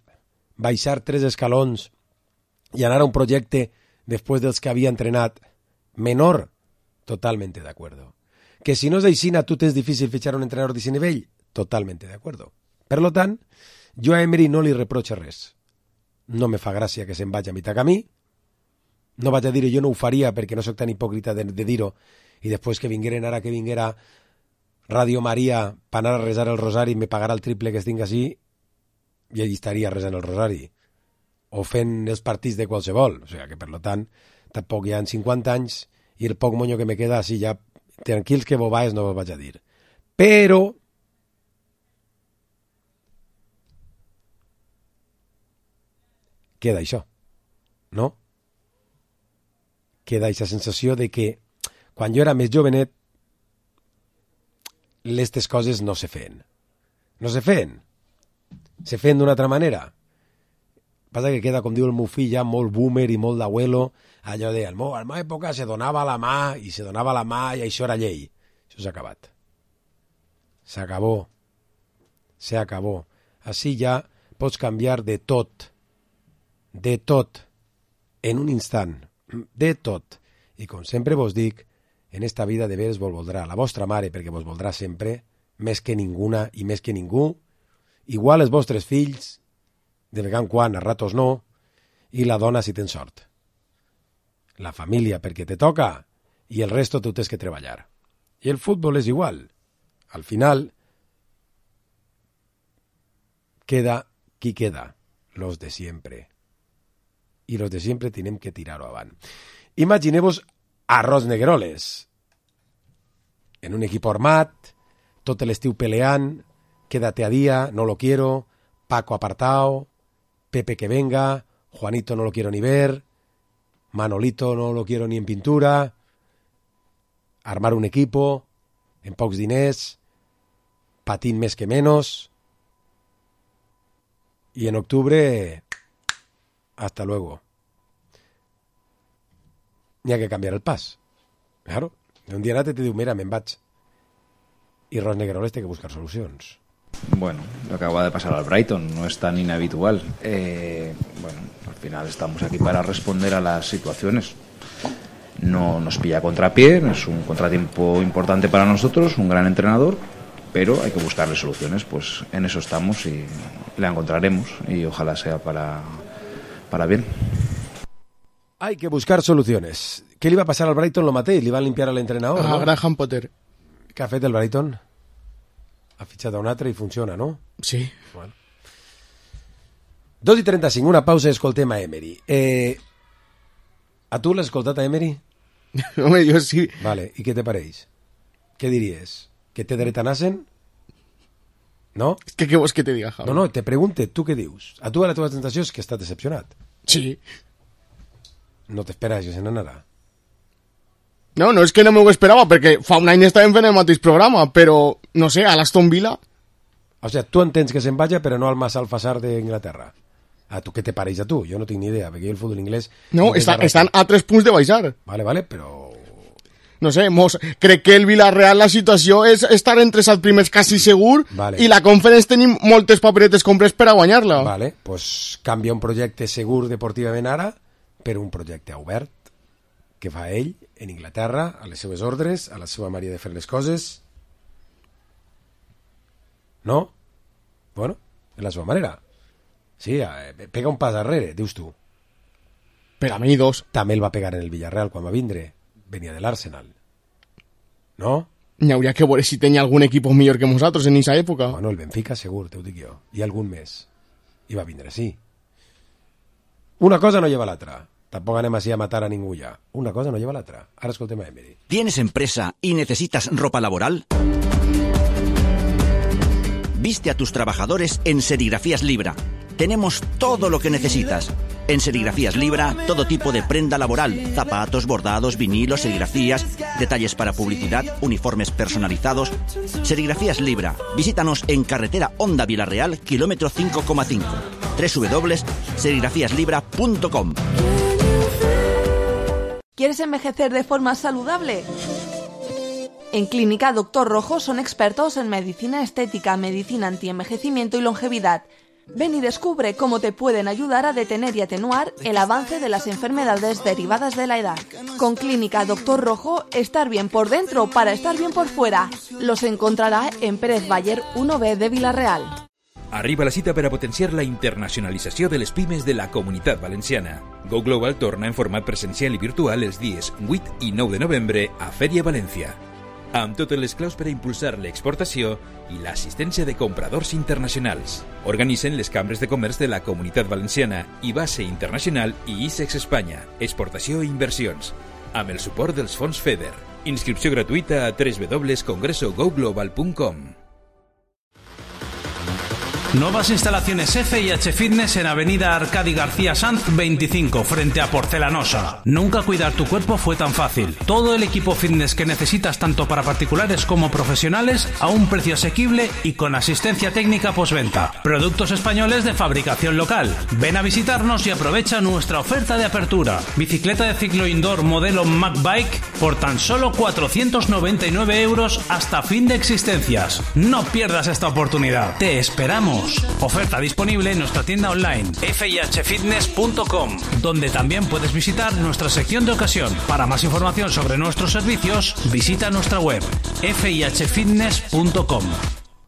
baixar 3 escalons i anar a un projecte després dels que havia entrenat menor, totalmente de acuerdo. Que si no és aixina, tu tens difícil fitxar un entrenador d'aquest nivell, totalmente de acuerdo. Per lo tant, jo a Emery no li reprocho res. No me fa gràcia que se'n vagi a mitjà camí, no vaig a dir jo no ho faria perquè no soc tan hipòcrita de dir-ho, i després que vingueren ara que vinguera Radio Maria per anar a resar el rosari me pagarà el triple que estic així i allí estaria resant el rosari o fent els partits de qualsevol, o sigui que per lo tant tampoc hi ha 50 anys i el poc monyo que me queda així ja tranquils que bobaes no vos vaig a dir, però queda això, no? Queda aquesta sensació de que quan jo era més jovenet aquestes coses no se feien. No se feien. Se feien d'una altra manera. Passa que queda, com diu el meu fill, ja molt boomer i molt d'abuelo, allò de, a la meva època se donava la mà i se donava la mà i això era llei. Això s'ha acabat. S'acabó. Se acabó. Així ja pots canviar de tot, en un instant, de tot. I com sempre vos dic, en esta vida de veres vos voldrà la vostra mare, perquè vos voldrà sempre, més que ninguna i més que ningú, igual els vostres fills, de vegada en quan, a ratos no, i la dona si tens sort. La família perquè te toca, i el resto tu tens que treballar. I el futbol és igual. Al final, queda qui queda, los de siempre. I los de siempre tenim que tirar-ho avant. Imagineu-vos Arroz Negroles, en un equip armat, tot l'estiu peleant, quédate a día, no lo quiero, Paco apartado, Pepe que venga, Juanito no lo quiero ni ver, Manolito no lo quiero ni en pintura, armar un equipo, en pocs diners, patín més que menos, y en octubre, hasta luego. N'hi ha que canviar el pas. Claro. Un dia anat te diu, mira, me'n vaig. I Ros Negroles té que buscar solucions. Bueno, lo que acaba de pasar al Brighton no es tan inhabitual. Bueno, al final estamos aquí para responder a las situaciones. No nos pilla a contrapié, es un contratiempo importante para nosotros, un gran entrenador, pero hay que buscarle soluciones. Pues en eso estamos y la encontraremos y ojalá sea para bien. Hay que buscar soluciones. ¿Qué le iba a pasar al Brighton? Lo maté y le iba a limpiar al entrenador, a ¿no? Graham Potter. ¿Qué ha fet el Brighton? Ha fitxat a un altre i funciona, no? Sí. Bueno. 2:35, una pausa i escoltem a Emery. A tu l'has escoltat a Emery? Home, jo sí. Vale, i què te pareix? Què diries? Que té dret a nasen? No? Què vols que te diga, Javi? No, te pregunte, tu què dius? A tu la teva sensació és que estàs decepcionat. Sí. No t'esperes que se n'anarà? No, no és que no m'ho esperava, perquè fa un any estàvem fent el mateix programa, però, no sé, a l'Aston Villa... O sigui, tu entens que se'n vaja, però no al Mas Alfasar d'Inglaterra. A tu què te pareix a tu? Jo no tinc ni idea, perquè el futbol inglès... No, estan a 3 punts de baixar. Vale, però... No sé, crec que el Villarreal la situació és estar entre els primers quasi segur, vale. I la Conference tenim moltes paperetes compres per a guanyar-la. Vale, pues canvia un projecte segur deportivament ara per un projecte obert que fa ell en Inglaterra, a les seves ordres, a la seva manera de fer les coses. No? Bueno, és la seva manera. Sí, pega un pas darrere, dius tu. Per a mi 2. També el va pegar en el Villarreal quan va vindre. Venia de l'Arsenal. No? N'hi hauria que veure si tenia algun equip millor que nosaltres en aquesta època. Bueno, el Benfica segur, te ho dic jo. I algun més. I va vindre, sí. Una cosa no lleva l'altra. Tampoco anem así a matar a ningú ya. Una cosa no lleva la otra. Ahora escoltem a Emery. ¿Tienes empresa y necesitas ropa laboral? Viste a tus trabajadores en Serigrafías Libra. Tenemos todo lo que necesitas. En Serigrafías Libra, todo tipo de prenda laboral, zapatos, bordados, vinilos, serigrafías, detalles para publicidad, uniformes personalizados. Serigrafías Libra. Visítanos en carretera Honda Vilarreal, kilómetro 5,5. www.serigrafíaslibra.com. ¿Quieres envejecer de forma saludable? En Clínica Doctor Rojo son expertos en medicina estética, medicina antienvejecimiento y longevidad. Ven y descubre cómo te pueden ayudar a detener y atenuar el avance de las enfermedades derivadas de la edad. Con Clínica Doctor Rojo, estar bien por dentro para estar bien por fuera. Los encontrarà en Pérez Bayer 1B de Vila-real. Arriba la cita per a potenciar la internacionalització de les pimes de la Comunitat Valenciana. Go Global torna en format presencial i virtual els dies 8 i 9 de novembre a Fèria València, amb totes les claus per a impulsar l'exportació i l'assistència de compradors internacionals. Organitzen les cambres de comerç de la Comunitat Valenciana i Base Internacional i ISEX Espanya, exportació i inversions, amb el suport dels fons FEDER. Inscripció gratuïta a www.congresogoglobal.com. Nuevas instalaciones F&H Fitness en Avenida Arcadi García Sanz 25, frente a Porcelanosa. Nunca cuidar tu cuerpo fue tan fácil. Todo el equipo fitness que necesitas tanto para particulares como profesionales a un precio asequible y con asistencia técnica postventa. Productos españoles de fabricación local. Ven a visitarnos y aprovecha nuestra oferta de apertura. Bicicleta de ciclo indoor modelo MacBike por tan solo 499 € hasta fin de existencias. No pierdas esta oportunidad. Te esperamos. Oferta disponible en nuestra tienda online fihfitness.com, donde también puedes visitar nuestra sección de ocasión. Para más información sobre nuestros servicios, visita nuestra web fihfitness.com.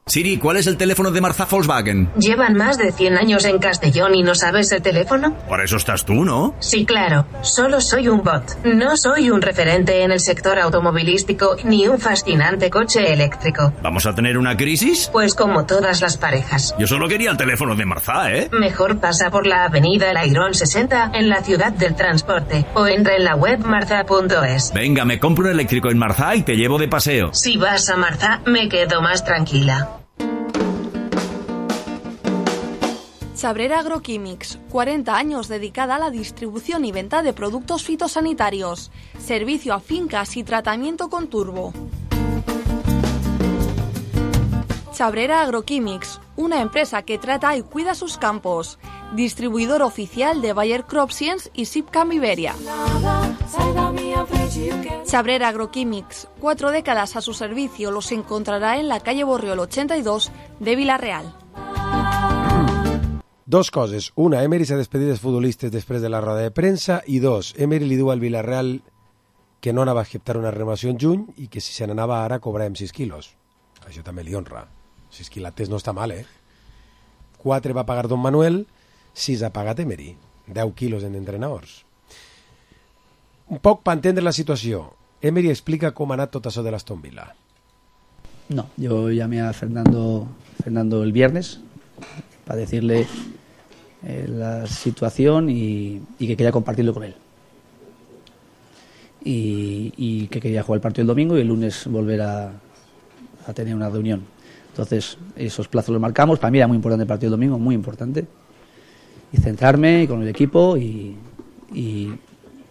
Siri, ¿cuál es el teléfono de Marzá Volkswagen? ¿Llevan más de 100 años en Castellón y no sabes el teléfono? Para eso estás tú, ¿no? Sí, claro. Solo soy un bot. No soy un referente en el sector automovilístico ni un fascinante coche eléctrico. ¿Vamos a tener una crisis? Pues como todas las parejas. Yo solo quería el teléfono de Marzá, ¿eh? Mejor pasa por la avenida Lairón 60 en la ciudad del transporte o entra en la web marza.es. Venga, me compro un eléctrico en Marzá y te llevo de paseo. Si vas a Marzá, me quedo más tranquila. Chabrera Agroquímics, 40 años dedicada a la distribución y venta de productos fitosanitarios, servicio a fincas y tratamiento con turbo. Chabrera Agroquímics, una empresa que trata y cuida sus campos, distribuidor oficial de Bayer CropScience y Sipcam Iberia. Chabrera Agroquímics, 4 décadas a su servicio, los encontrará en la calle Borriol 82 de Vila-real. Dos coses. Una, Emery s'ha despedit dels futbolistes després de la roda de premsa, i dos, Emery li diu al Villarreal que no anava a acceptar una renovació en juny i que si se n'anava ara cobràvem 6 quilos. Això també li honra. 6 quilates no està mal, eh? 4 va pagar Don Manuel, 6 ha pagat Emery. 10 quilos en entrenadors. Un poc per entendre la situació. Emery explica com ha anat tot això de l'Aston Villa. No, yo llamé a Fernando el viernes para decirle la situación y que quería compartirlo con él. Y que quería jugar el partido el domingo y el lunes volver a tener una reunión. Entonces, esos plazos los marcamos. Para mí era muy importante el partido el domingo, muy importante. Y centrarme con el equipo y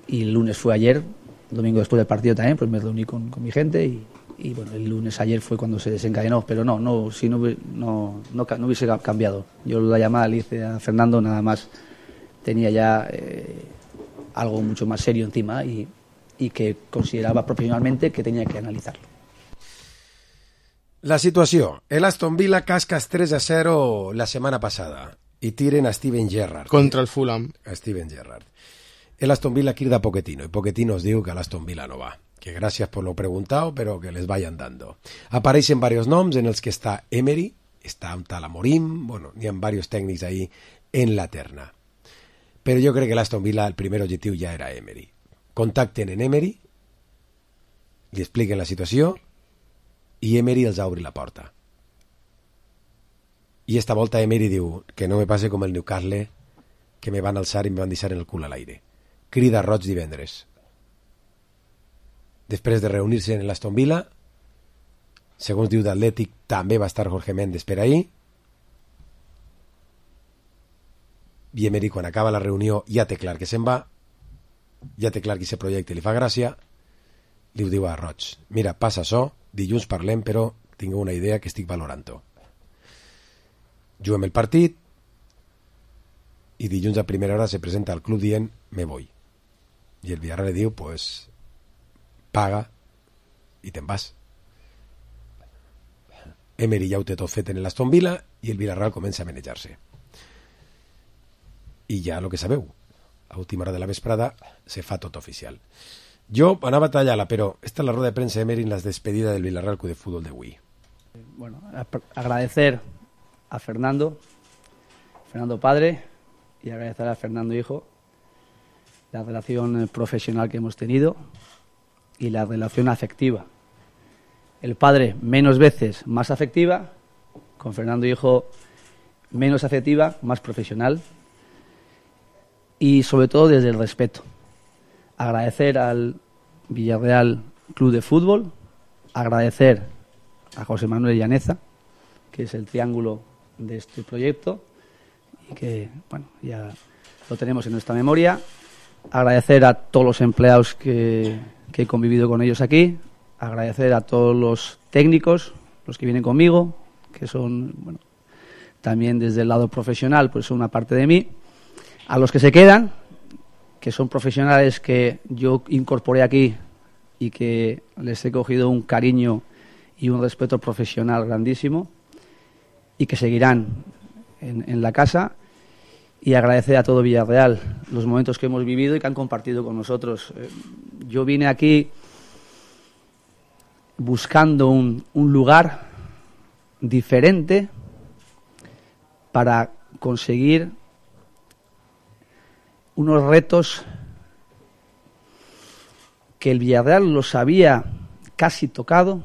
el lunes fue ayer, el domingo después del partido también, pues me reuní con mi gente y bueno, el lunes ayer fue cuando se desencadenó, pero no hubiese cambiado. Yo la llamada le hice a Fernando, nada más tenía ya algo mucho más serio encima y que consideraba profesionalmente que tenía que analizarlo. La situació. El Aston Villa cascas 3-0 la setmana passada i tiren a Steven Gerrard. Contra el Fulham. A Steven Gerrard. El Aston Villa crida a Pochettino y Pochettino os diu que l'Aston Villa no va. Que gracias por lo preguntado, pero que les vayan dando. Apareixen varios noms en els que està Emery, està un tal Amorim, bueno, n'hi ha varios tècnics ahí en la terna. Però jo crec que l'Aston Villa, el primer objectiu ja era Emery. Contacten en Emery, li expliquen la situació i Emery els obri la porta. I esta volta Emery diu que no me passe com el Newcastle, que me van alçar i me van deixar en el cul a l'aire. Crida Roig divendres. Després de reunir-se en l'Aston Villa, segons diu d'Atlètic, també va estar Jorge Méndez per ahí. i Emery, quan acaba la reunió, ja té clar que se'n va, ja té clar que aquest projecte li fa gràcia, li ho diu a Roig: mira, passa açò, dilluns parlem, però tinc una idea que estic valorant-ho. Juguem el partit i dilluns a primera hora se presenta al club dient me voy, i el Villarreal li diu pues paga i te'n vas. Emery ja ho té tot fet en l'Aston Villa i el Villarreal comença a manejar-se. I ja el que sabeu, a última hora de la vesprada se fa tot oficial. Jo anava a tallar-la, però esta es la rueda de prensa de Emery en la despedida del Villarreal Club de Fútbol de Wii. Bueno, agradecer a Fernando padre, y agradecer a Fernando hijo la relación profesional que hemos tenido y la relación afectiva. El padre menos veces, más afectiva; con Fernando hijo menos afectiva, más profesional, y sobre todo desde el respeto. Agradecer al Villarreal Club de Fútbol, agradecer a José Manuel Llaneza, que es el triángulo de este proyecto y que, bueno, ya lo tenemos en nuestra memoria. Agradecer a todos los empleados que he convivido con ellos aquí, agradecer a todos los técnicos, los que vienen conmigo, que son, bueno, también desde el lado profesional, pues son una parte de mí. A los que se quedan, que son profesionales que yo incorporé aquí y que les he cogido un cariño y un respeto profesional grandísimo y que seguirán en la casa. Y agradecer a todo Villarreal los momentos que hemos vivido y que han compartido con nosotros. Yo vine aquí buscando un lugar diferente para conseguir unos retos que el Villarreal los había casi tocado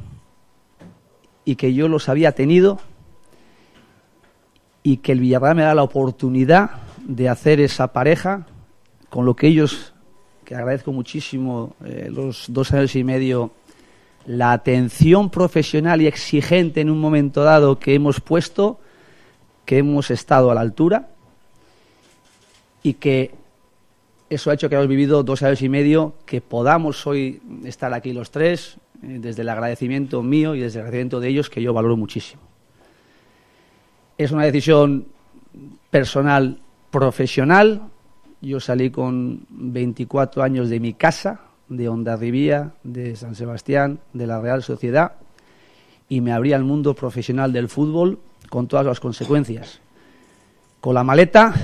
y que yo los había tenido, y que el Villarreal me da la oportunidad de hacer esa pareja con lo que ellos, que agradezco muchísimo, los 2 años y medio, la atención profesional y exigente en un momento dado que hemos puesto, que hemos estado a la altura, y que eso ha hecho que hemos vivido 2 años y medio, que podamos hoy estar aquí los tres, desde el agradecimiento mío y desde el agradecimiento de ellos, que yo valoro muchísimo. Es una decisión personal, profesional. Yo salí con 24 años de mi casa, de Hondarribía, de San Sebastián, de la Real Sociedad, y me abrí al mundo profesional del fútbol con todas las consecuencias. Con la maleta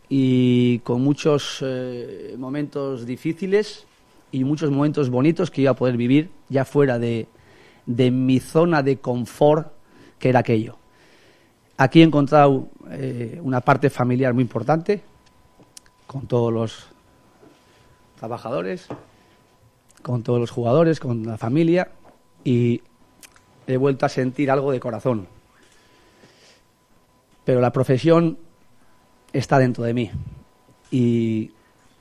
y con muchos momentos difíciles y muchos momentos bonitos que iba a poder vivir ya fuera de mi zona de confort, que era aquello. Aquí he encontrado una parte familiar muy importante, con todos los trabajadores, con todos los jugadores, con la familia, y he vuelto a sentir algo de corazón. Pero la profesión está dentro de mí, y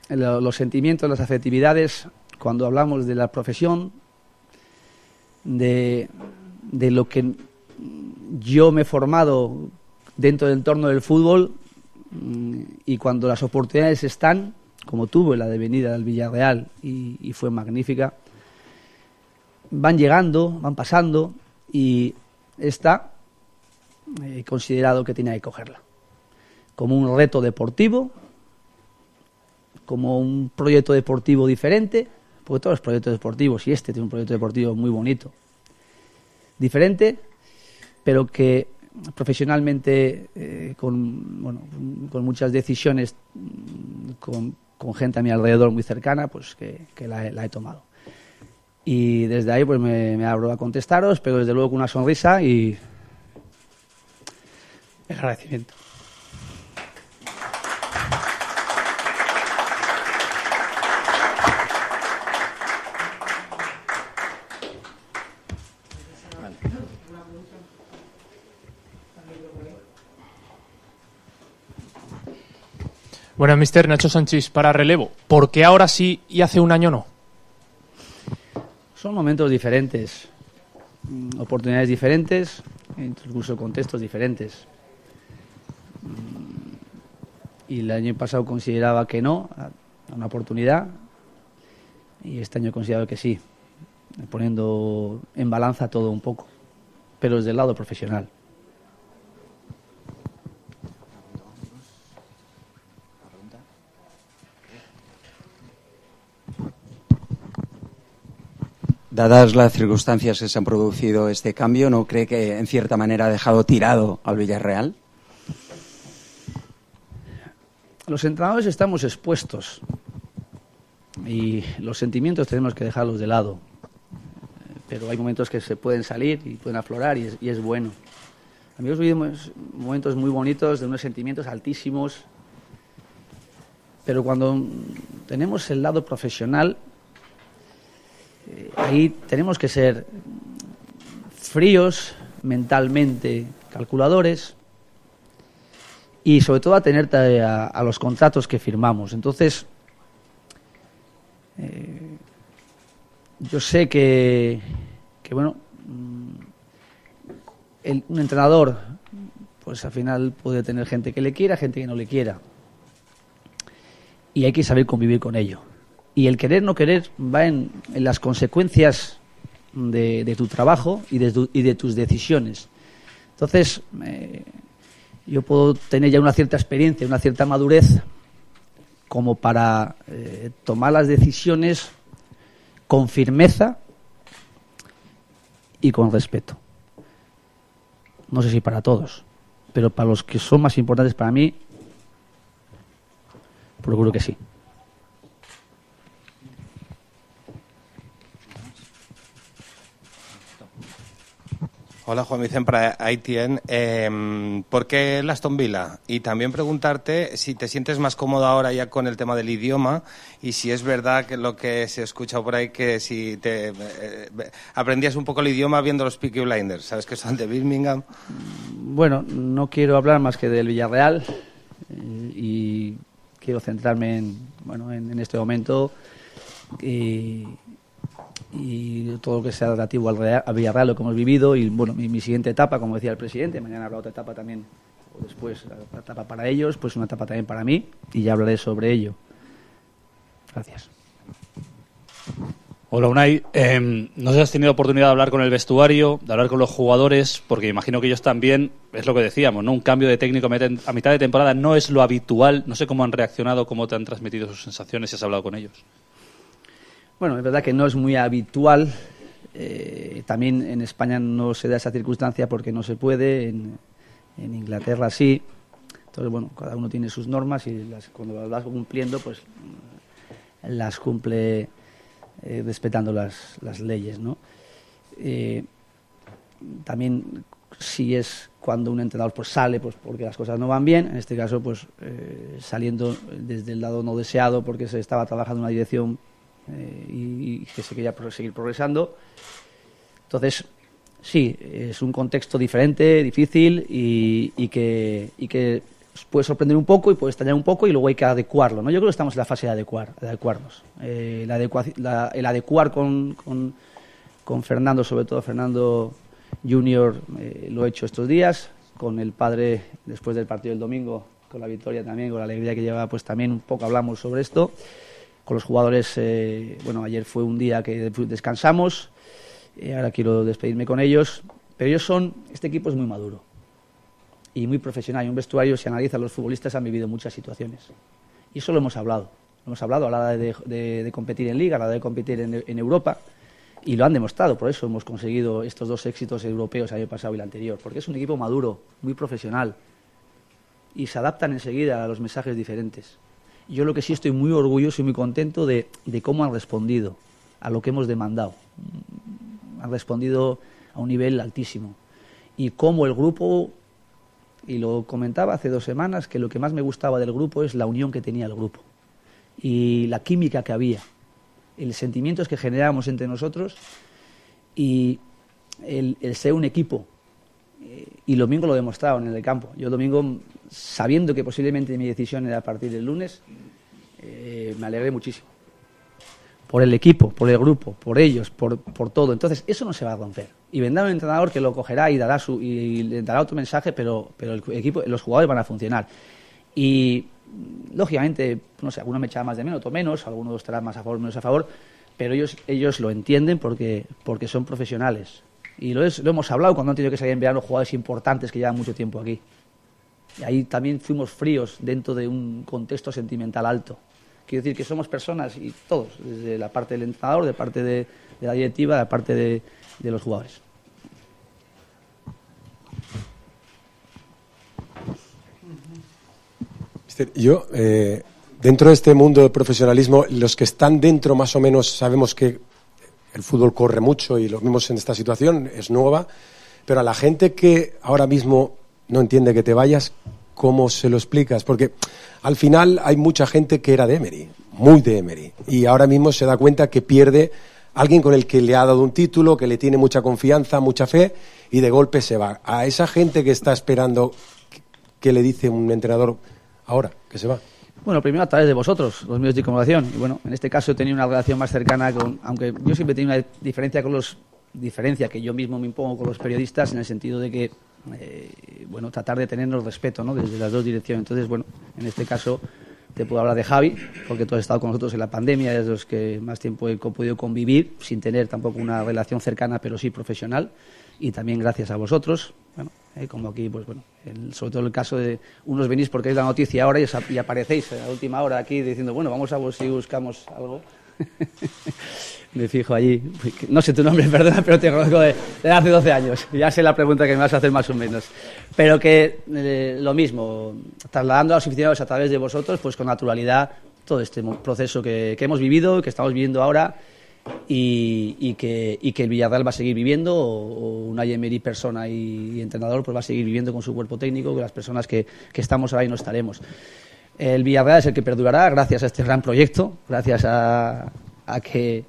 los sentimientos, las afectividades, cuando hablamos de la profesión, de lo que yo me he formado dentro del entorno del fútbol, y cuando las oportunidades están, como tuve la de venir al Villarreal y fue magnífica, van llegando, van pasando, y esta he considerado que tenía que cogerla como un reto deportivo, como un proyecto deportivo diferente, porque todos los proyectos deportivos, y este tiene un proyecto deportivo muy bonito, diferente, pero que profesionalmente con muchas decisiones, con gente a mi alrededor muy cercana, pues que la he tomado. Y desde ahí pues me abro a contestaros, pero desde luego con una sonrisa y agradecimiento. Bueno, mister Nacho Sanchís, para relevo, ¿por qué ahora sí y hace un año no? Son momentos diferentes, oportunidades diferentes, incluso contextos diferentes. y el año pasado consideraba que no, a una oportunidad, y este año he considerado que sí, poniendo en balanza todo un poco, pero desde el lado profesional. Dadas las circunstancias que se han producido este cambio, ¿no cree que en cierta manera ha dejado tirado al Villarreal? Los entrenadores estamos expuestos y los sentimientos tenemos que dejarlos de lado, pero hay momentos que se pueden salir y pueden aflorar y es bueno. Amigos, vivimos momentos muy bonitos de unos sentimientos altísimos, pero cuando tenemos el lado profesional, ahí tenemos que ser fríos, mentalmente calculadores y sobre todo atenderte a los contratos que firmamos. Entonces, yo sé que bueno, un entrenador pues al final puede tener gente que le quiera, gente que no le quiera, y hay que saber convivir con ello. Y el querer no querer va en las consecuencias de tu trabajo y de tus decisiones. Entonces, yo puedo tener ya una cierta experiencia, una cierta madurez como para tomar las decisiones con firmeza y con respeto. No sé si para todos, pero para los que son más importantes para mí, procuro que sí. Hola, Juan Vicente para ITN. ¿Por qué el Aston Villa? Y también preguntarte si te sientes más cómodo ahora ya con el tema del idioma y si es verdad que lo que se escucha por ahí, que si te aprendías un poco el idioma viendo los Peaky Blinders, ¿sabes que son de Birmingham? Bueno, no quiero hablar más que del Villarreal y quiero centrarme en este momento y todo lo que sea relativo al Villarreal, lo que hemos vivido y bueno, mi siguiente etapa, como decía el presidente, mañana habrá otra etapa también, o después la etapa para ellos, pues una etapa también para mí y ya hablaré sobre ello. Gracias. Hola Unai, no sé si has tenido oportunidad de hablar con el vestuario, de hablar con los jugadores, porque imagino que ellos también, es lo que decíamos, ¿no? Un cambio de técnico a mitad de temporada no es lo habitual, no sé cómo han reaccionado, cómo te han transmitido sus sensaciones, si has hablado con ellos. Bueno, es verdad que no es muy habitual, también en España no se da esa circunstancia porque no se puede, en Inglaterra sí, entonces bueno, cada uno tiene sus normas y cuando las vas cumpliendo, pues las cumple respetando las leyes, ¿no? También si es cuando un entrenador pues sale pues porque las cosas no van bien, en este caso pues saliendo desde el lado no deseado porque se estaba trabajando en una dirección y que se quería seguir progresando. Entonces, sí, es un contexto diferente, difícil y que puede sorprender un poco y puede extrañar un poco y luego hay que adecuarlo, ¿no? Yo creo que estamos en la fase de adecuarnos. El adecuar con Fernando, sobre todo Fernando Junior, lo he hecho estos días, con el padre después del partido del domingo, con la victoria también, con la alegría que lleva, pues también un poco hablamos sobre esto. Con los jugadores, bueno, ayer fue un día que descansamos, ahora quiero despedirme con ellos, pero este equipo es muy maduro y muy profesional, y un vestuario, si analizan, los futbolistas han vivido muchas situaciones, y eso lo hemos hablado a la hora de competir en Liga, a la hora de competir en Europa, y lo han demostrado, por eso hemos conseguido estos 2 éxitos europeos el año pasado y el anterior, porque es un equipo maduro, muy profesional, y se adaptan enseguida a los mensajes diferentes. Yo lo que sí estoy muy orgulloso y muy contento de cómo han respondido a lo que hemos demandado. Han respondido a un nivel altísimo. Y cómo el grupo, y lo comentaba hace 2 semanas, que lo que más me gustaba del grupo es la unión que tenía el grupo. Y la química que había. Los sentimientos que generábamos entre nosotros y el ser un equipo. Y el domingo lo demostraron en el campo. Yo el domingo, sabiendo que posiblemente mi decisión era a partir del lunes, me alegré muchísimo. Por el equipo, por el grupo, por ellos, por todo. Entonces, eso no se va a romper. Y vendrá un entrenador que lo cogerá y le dará otro mensaje, pero el equipo, los jugadores van a funcionar. Y lógicamente, no sé, alguno me echará más de menos, otro menos, algunos estarán más a favor, menos a favor, pero ellos lo entienden porque son profesionales. Y lo hemos hablado cuando han tenido que salir en verano jugadores importantes que llevan mucho tiempo aquí. Y ahí también fuimos fríos dentro de un contexto sentimental alto. Quiero decir que somos personas y todos, desde la parte del entrenador, de parte de la directiva, de parte de los jugadores. Yo, dentro de este mundo del profesionalismo, los que están dentro más o menos sabemos que el fútbol corre mucho y lo vimos en esta situación, es nueva, pero a la gente que ahora mismo no entiende que te vayas, ¿cómo se lo explicas? Porque al final hay mucha gente que era de Emery, muy de Emery, y ahora mismo se da cuenta que pierde a alguien con el que le ha dado un título, que le tiene mucha confianza, mucha fe, y de golpe se va. A esa gente que está esperando, ¿qué le dice un entrenador ahora que se va? Bueno, primero a través de vosotros, los medios de comunicación. Y bueno, en este caso he tenido una relación más cercana con, aunque yo siempre he tenido una diferencia que yo mismo me impongo con los periodistas, en el sentido de que, bueno, tratar de tenernos respeto, ¿no?, desde las dos direcciones. Entonces, bueno, en este caso te puedo hablar de Javi, porque tú has estado con nosotros en la pandemia, es de los que más tiempo he podido convivir, sin tener tampoco una relación cercana, pero sí profesional. Y también gracias a vosotros, bueno, como aquí, pues bueno, sobre todo el caso de unos venís porque es la noticia ahora y aparecéis a la última hora aquí diciendo, bueno, vamos a ver si buscamos algo. Me fijo allí, no sé tu nombre, perdona, pero te conozco de hace 12 años, ya sé la pregunta que me vas a hacer más o menos, pero que lo mismo, trasladando a los aficionados a través de vosotros, pues con naturalidad todo este proceso que hemos vivido, que estamos viviendo ahora, y que el Villarreal va a seguir viviendo, o Unai Emery persona y entrenador pues va a seguir viviendo con su cuerpo técnico, con las personas que estamos ahora y no estaremos. El Villarreal es el que perdurará gracias a este gran proyecto, gracias a que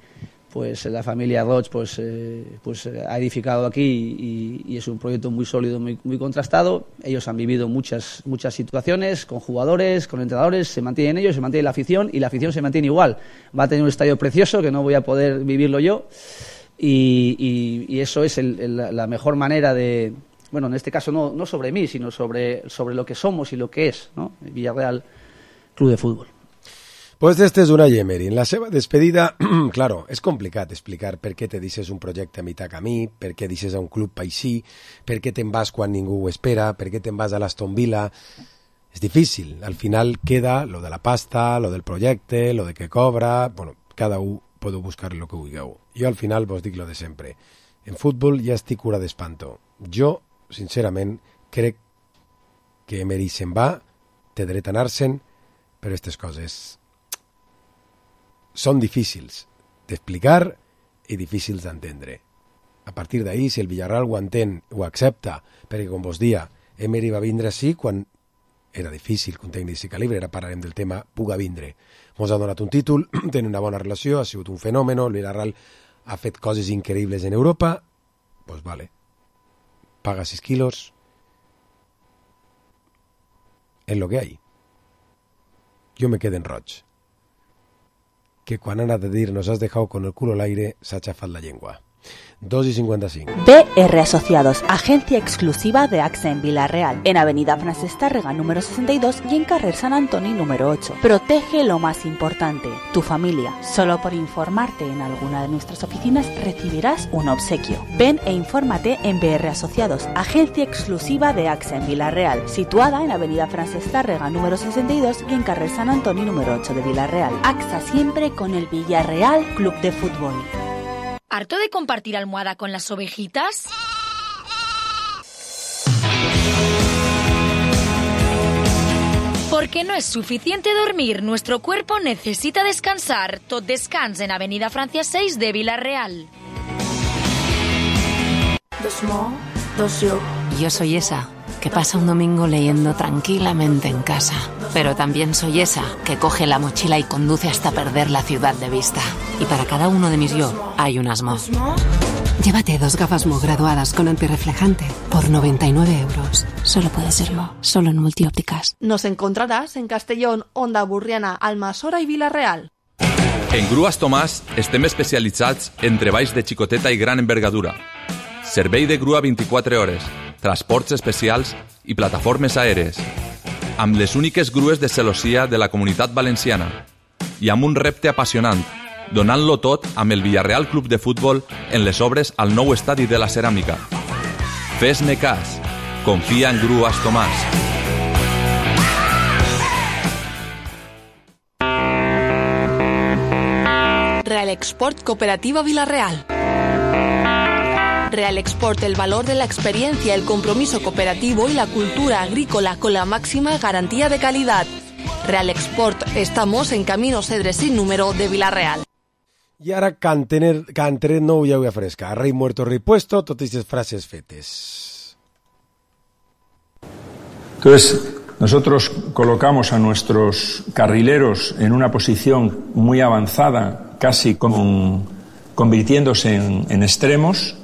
pues la familia Roig pues ha edificado aquí y es un proyecto muy sólido, muy contrastado. Ellos han vivido muchas situaciones con jugadores, con entrenadores, se mantienen ellos, se mantiene la afición y la afición se mantiene igual. Va a tener un estadio precioso que no voy a poder vivirlo yo y eso es la mejor manera de, bueno, en este caso no sobre mí, sino sobre lo que somos y lo que es, ¿no?, el Villarreal Club de Fútbol. Pues este és Unai Emery. En la seva despedida, claro, és complicat explicar per què te deixes un projecte a mitjà camí, per què deixes a un club així, per què te'n vas quan ningú ho espera, per què te'n vas a l'Aston Villa. És difícil. Al final queda lo de la pasta, lo del projecte, lo de que cobra. Bueno, cada un podeu buscar lo que vulgueu. Jo al final vos dic lo de sempre. En futbol ja estic cura d'espanto. Jo, sincerament, crec que Emery se'n va, té dret a anar-se'n, però aquestes coses són difícils d'explicar i difícils d'entendre. A partir d'ahí, si el Villarreal ho entén, ho accepta, perquè, com vos dia, Emery va vindre així quan era difícil que un tècnic d'aquest calibre, ara parlarem del tema, puga vindre. Mos ha donat un títol, tenen una bona relació, ha sigut un fenomen, el Villarreal ha fet coses increïbles en Europa, pues vale, paga 6 quilos, en lo que hay. Yo me quedé en Roig, que quan han de dir nos has dejado con el culo al aire, s'ha xafat la llengua. 2:55. BR Asociados, agencia exclusiva de AXA en Villarreal, en Avenida Francesc Tàrrega número 62 y en Carrer Sant Antoni número 8. Protege lo más importante, tu familia. Solo por informarte en alguna de nuestras oficinas recibirás un obsequio. Ven e infórmate en BR Asociados, agencia exclusiva de AXA en Villarreal, situada en Avenida Francesc Tàrrega número 62 y en Carrer Sant Antoni número 8 de Villarreal. AXA siempre con el Villarreal Club de Fútbol. ¿Harto de compartir almohada con las ovejitas? Porque no es suficiente dormir, nuestro cuerpo necesita descansar. Tot Descans en Avenida Francia 6 de Villarreal. Yo soy esa que pasa un domingo leyendo tranquilamente en casa. Pero también soy esa que coge la mochila y conduce hasta perder la ciudad de vista. Y para cada uno de mis yo hay un Asmo. Llévate 2 gafas Mo graduadas con antirreflejante por 99 euros. Solo puede ser Mo, solo en Multiópticas. Nos encontrarás en Castellón, Onda Burriana, Almassora i Vila-real. En Grues Tomàs estem especialitzats en treballs de xicoteta i gran envergadura. Servei de grua 24 hores, transports especials i plataformes aèries. amb les úniques grues de celossia de la Comunitat Valenciana i amb un repte apassionant, donant-lo tot amb el Villarreal Club de Futbol en les obres al nou estadi de la Ceràmica. Fes-me cas, confia en Grues Tomàs. Real Export Cooperativa Villarreal. Real Export, el valor de la experiencia, el compromiso cooperativo y la cultura agrícola con la máxima garantía de calidad. Real Export, estamos en Camino Cedre sin número de Villarreal. I ara cantaré nou llaua fresca. Rei muerto, rei puesto, totes les frases fetes. Entonces, nosotros colocamos a nuestros carrileros en una posición muy avanzada, casi convirtiéndose en extremos.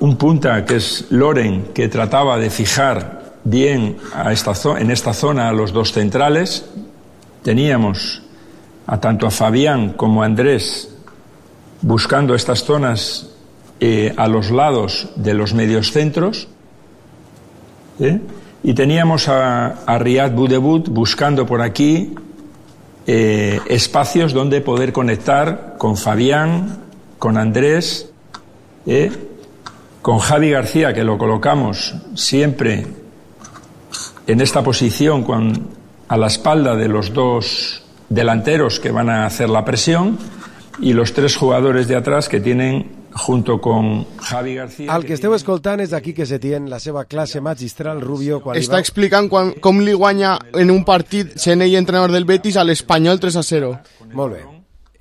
Un punta que es Loren, que trataba de fijar bien en esta zona a los dos centrales. Teníamos tanto a Fabián como a Andrés buscando estas zonas a los lados de los mediocentros. Y teníamos a Riyad Boudebout buscando por aquí espacios donde poder conectar con Fabián, con Andrés, con Javi García, que lo colocamos siempre en esta posición a la espalda de los dos delanteros que van a hacer la presión, y los tres jugadores de atrás que tienen junto con Javi García... El que esteu escoltant és d'aquí que se tien la seva classe magistral, Rubio, quan està explicant com li guanya en un partit sent ell entrenador del Betis a l'Espanyol 3-0. Molt bé.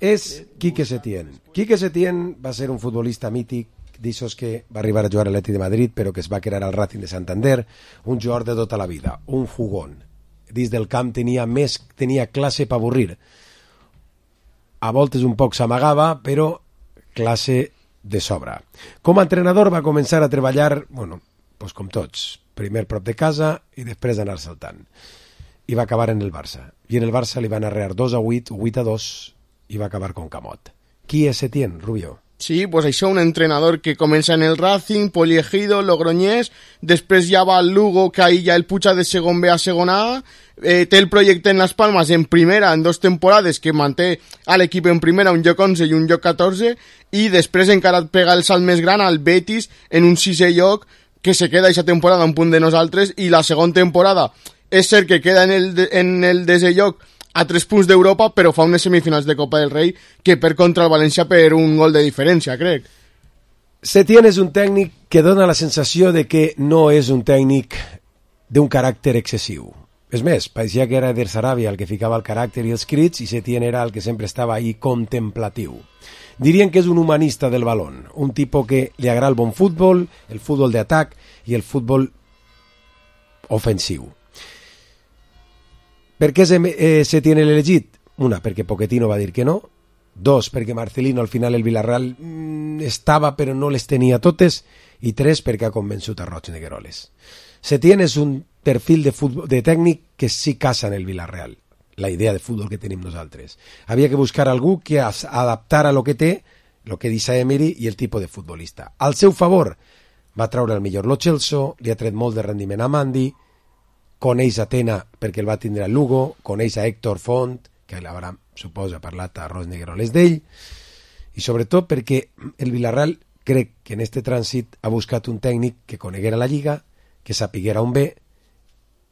És Quique Setién. Quique Setién va ser un futbolista mític, d'aixòs que va arribar a jugar a l'Atlètic de Madrid, però que es va quedar al Racing de Santander, un jugador de tota la vida, un jugón. Dins del camp tenia classe per avorrir. A voltes un poc s'amagava, però classe de sobra. Com a entrenador va començar a treballar, doncs com tots, primer prop de casa i després anar saltant. I va acabar en el Barça. I en el Barça li van arrear 2-8, 8-2, i va acabar con Camot. Qui és Setién, Rubio? Sí, pues això, un entrenador que comença en el Racing, Poliegido, Logroñés, després ja va al Lugo, que ahí ja el puja de segon B a segon A, té el projecte en Las Palmas en primera en 2 temporades, que manté a l'equip en primera un lloc 11 i un lloc 14, i després encara pega el salt més gran al Betis en un 6è lloc, que se queda aquesta temporada un punt de nosaltres, i la segona temporada és cert que queda en el 10è lloc a 3 punts d'Europa, però fa unes semifinals de Copa del Rei que per contra el València per un gol de diferència, crec. Setién és un tècnic que dona la sensació de que no és un tècnic d'un caràcter excessiu. És més, pareixia que era Eder Sarabia el que ficava el caràcter i els crits, i Setién era el que sempre estava ahí contemplatiu. Dirien que és un humanista del balón, un tipus que li agrada el bon futbol, el futbol d'atac i el futbol ofensiu. Per què Setién l'ha elegit? Una, perquè Pochettino va dir que no. 2, perquè Marcelino al final el Villarreal estava però no les tenia totes. I 3, perquè ha convençut a Roig Negueroles. Setién és un perfil de tècnic que sí casa en el Villarreal, la idea de futbol que tenim nosaltres. Havia que buscar algú que adaptara el que té, el que dice Emery, i el tipus de futbolista. Al seu favor va treure el millor Lo Celso, li ha tret molt de rendiment a Mandi, coneix a Tena perquè el va tindre al Lugo, coneix a Héctor Font, que l'haurà, suposa, parlat a Roig Negueroles d'ell, i sobretot perquè el Villarreal crec que en este trànsit ha buscat un tècnic que coneguera la Lliga, que sapiguera on ve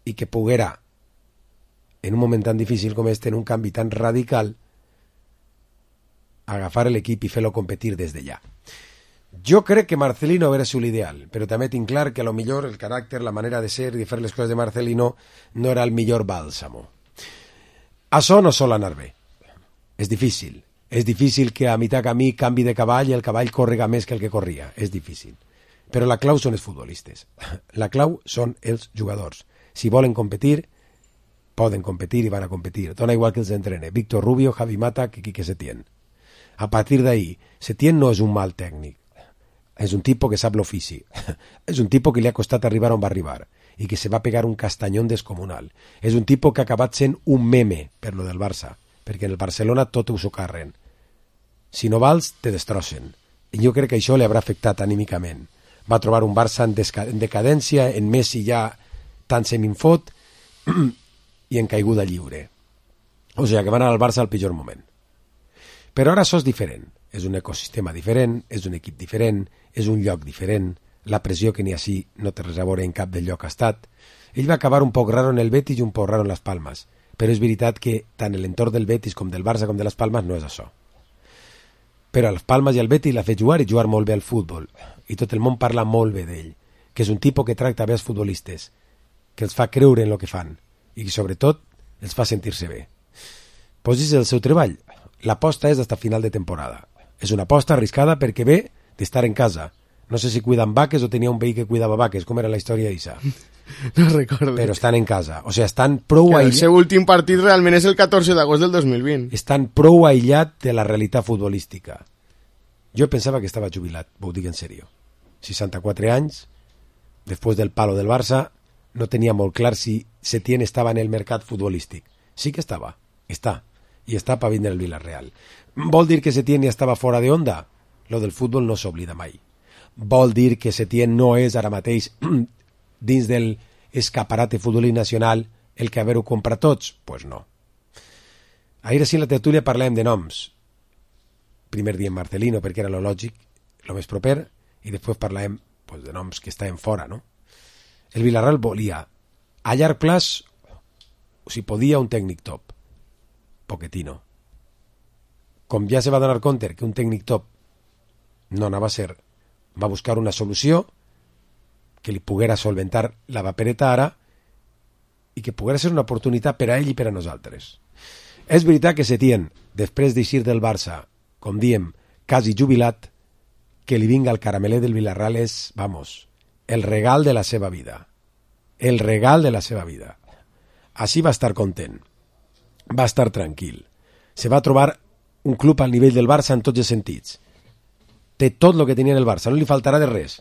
i que poguera, en un moment tan difícil com este, en un canvi tan radical, agafar l'equip i fer-lo competir des d'allà. Jo crec que Marcelino hauria sigut l'ideal, però també tinc clar que a lo millor el caràcter, la manera de ser i de fer les coses de Marcelino no era el millor bàlsamo. Això no sol anar bé. És difícil. És difícil que a mitjà camí canvi de cavall i el cavall córrega més que el que corria. És difícil. Però la clau són els futbolistes. La clau són els jugadors. Si volen competir, poden competir i van a competir. Dona igual que els entrene Víctor Rubio, Javi Mata, que Quique Setién. A partir d'ahí, Setién no és un mal tècnic. És un tipus que sap l'ofici. És un tipus que li ha costat arribar on va arribar i que se va pegar un castanyón descomunal. És un tipus que ha acabat sent un meme per lo del Barça, perquè en el Barcelona tot ho socarren. Si no vals, te destrossen. I jo crec que això li haurà afectat anímicament. va trobar un Barça en decadència, en Messi ja tan seminfot i en caiguda lliure. O sigui, que van anar al Barça al pitjor moment. Però ara això és diferent. És un ecosistema diferent, és un equip diferent, és un lloc diferent, la pressió que n'hi ha així no té res a veure en cap del lloc ha estat. Ell va acabar un poc raro en el Betis i un poc raro en les Palmes, però és veritat que tant l'entorn del Betis com del Barça com de les Palmes no és això. Però a les Palmes i al Betis l'ha fet jugar i jugar molt bé al futbol, i tot el món parla molt bé d'ell, que és un tipus que tracta bé els futbolistes, que els fa creure en el que fan, i que sobretot els fa sentir-se bé. Pues és el seu treball. L'aposta és d'hasta final de temporada. És una aposta arriscada perquè ve d'estar en casa. No sé si cuiden vaques o tenia un veí que cuidava vaques, com era la història d'Issa. No recordo. Però estan en casa. O sigui, estan prou aïllats. El seu últim partit realment és el 14 d'agost del 2020. Estan prou aïllats de la realitat futbolística. Jo pensava que estava jubilat, ho dic en sèrio. 64 anys, després del palo del Barça, no tenia molt clar si Setién estava en el mercat futbolístic. Sí que estava, està, i està per vindre el Villarreal. Vol dir que Setién ja estava fora de onda? Lo del futbol no s'oblida mai. Vol dir que Setién no és ara mateix dins del escaparate futbolístic nacional el que haver-ho comprat tots? Pues no. Ahir sí en la tertúlia parlàvem de noms. Primer diem Marcelino perquè era lo lògic, lo més proper, i després parlàvem pues, de noms que estaven fora, no? El Villarreal volia a llarg plaç, si podia, un tècnic top. Pochettino. Com ja se va donar compte que un tècnic top no anava a ser, va buscar una solució que li poguera solventar la papereta ara i que poguera ser una oportunitat per a ell i per a nosaltres. És veritat que Setién, després d'eixir del Barça, com diem, quasi jubilat, que li vinga el carameler del Villarreal és, vamos, el regal de la seva vida. El regal de la seva vida. Així va estar content. Va estar tranquil. Se va trobar un club al nivell del Barça en tots els sentits. Té tot el que tenia el Barça, no li faltarà de res.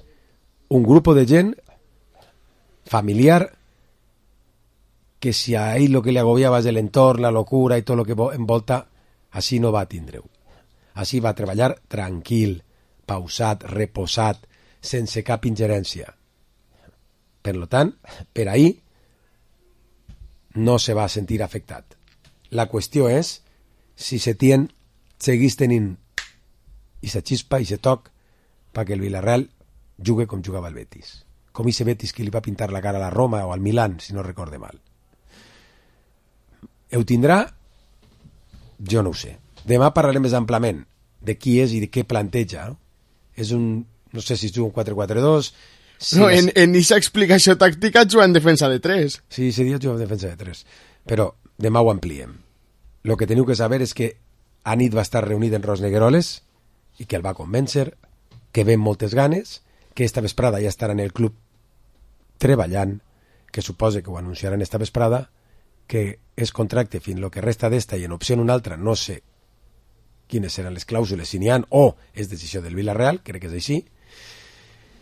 Un grup de gent familiar que si a ell el que li agobiava és l'entorn, la locura i tot el que envolta, així no va tindre-ho. Així va treballar tranquil, pausat, reposat, sense cap ingerència. Per tant, per ahir no se va sentir afectat. La qüestió és si Setién seguís tenint i se xispa i se toc perquè el Villarreal jugue com jugava el Betis. Com ese Betis que li va pintar la cara a la Roma o al Milán, si no recorde mal. Ho tindrà? Jo no ho sé. Demà parlarem més amplament de qui és i de què planteja. No? És un... No sé si es juga un 4-4-2... Sí, no, en aquesta explicació tàctica juga en defensa de 3. Sí, ese dia juga en defensa de 3. Però demà ho ampliem. Lo que teniu que saber és que anit va estar reunit en Ros Negueroles i que el va convèncer, que ven moltes ganes, que esta vesprada ja estarà en el club treballant, que suposa que ho anunciaran esta vesprada, que és contracte fins lo que resta d'esta i en opció una altra no sé quines seran les clàusules, si n'hi ha, o és decisió del Villarreal, crec que és així,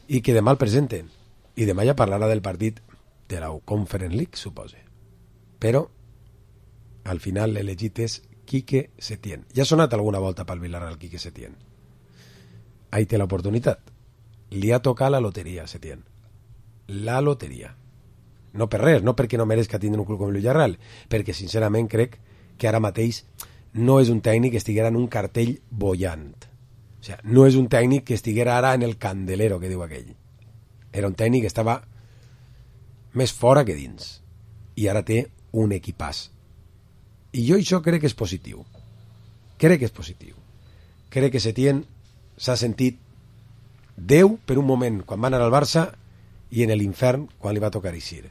i que demà el presenten. I demà ja parlarà del partit de la Conference League, suposa. Però, al final, l'elegit és Quique Setién. Ja ha sonat alguna volta pel Villarreal Quique Setién. Ahí té l'oportunitat. Li ha tocat la loteria a Setién. La loteria. No per res, no perquè no mereixca tindre un club com el Villarreal, perquè sincerament crec que ara mateix no és un tècnic que estiguera en un cartell bollant. O sigui, no és un tècnic que estiguera ara en el candelero, que diu aquell. Era un tècnic que estava més fora que dins. I ara té un equipàs. I jo això crec que és positiu. Crec que és positiu. Crec que Setién s'ha sentit Déu per un moment quan va anar al Barça i en l'infern quan li va tocar eixir.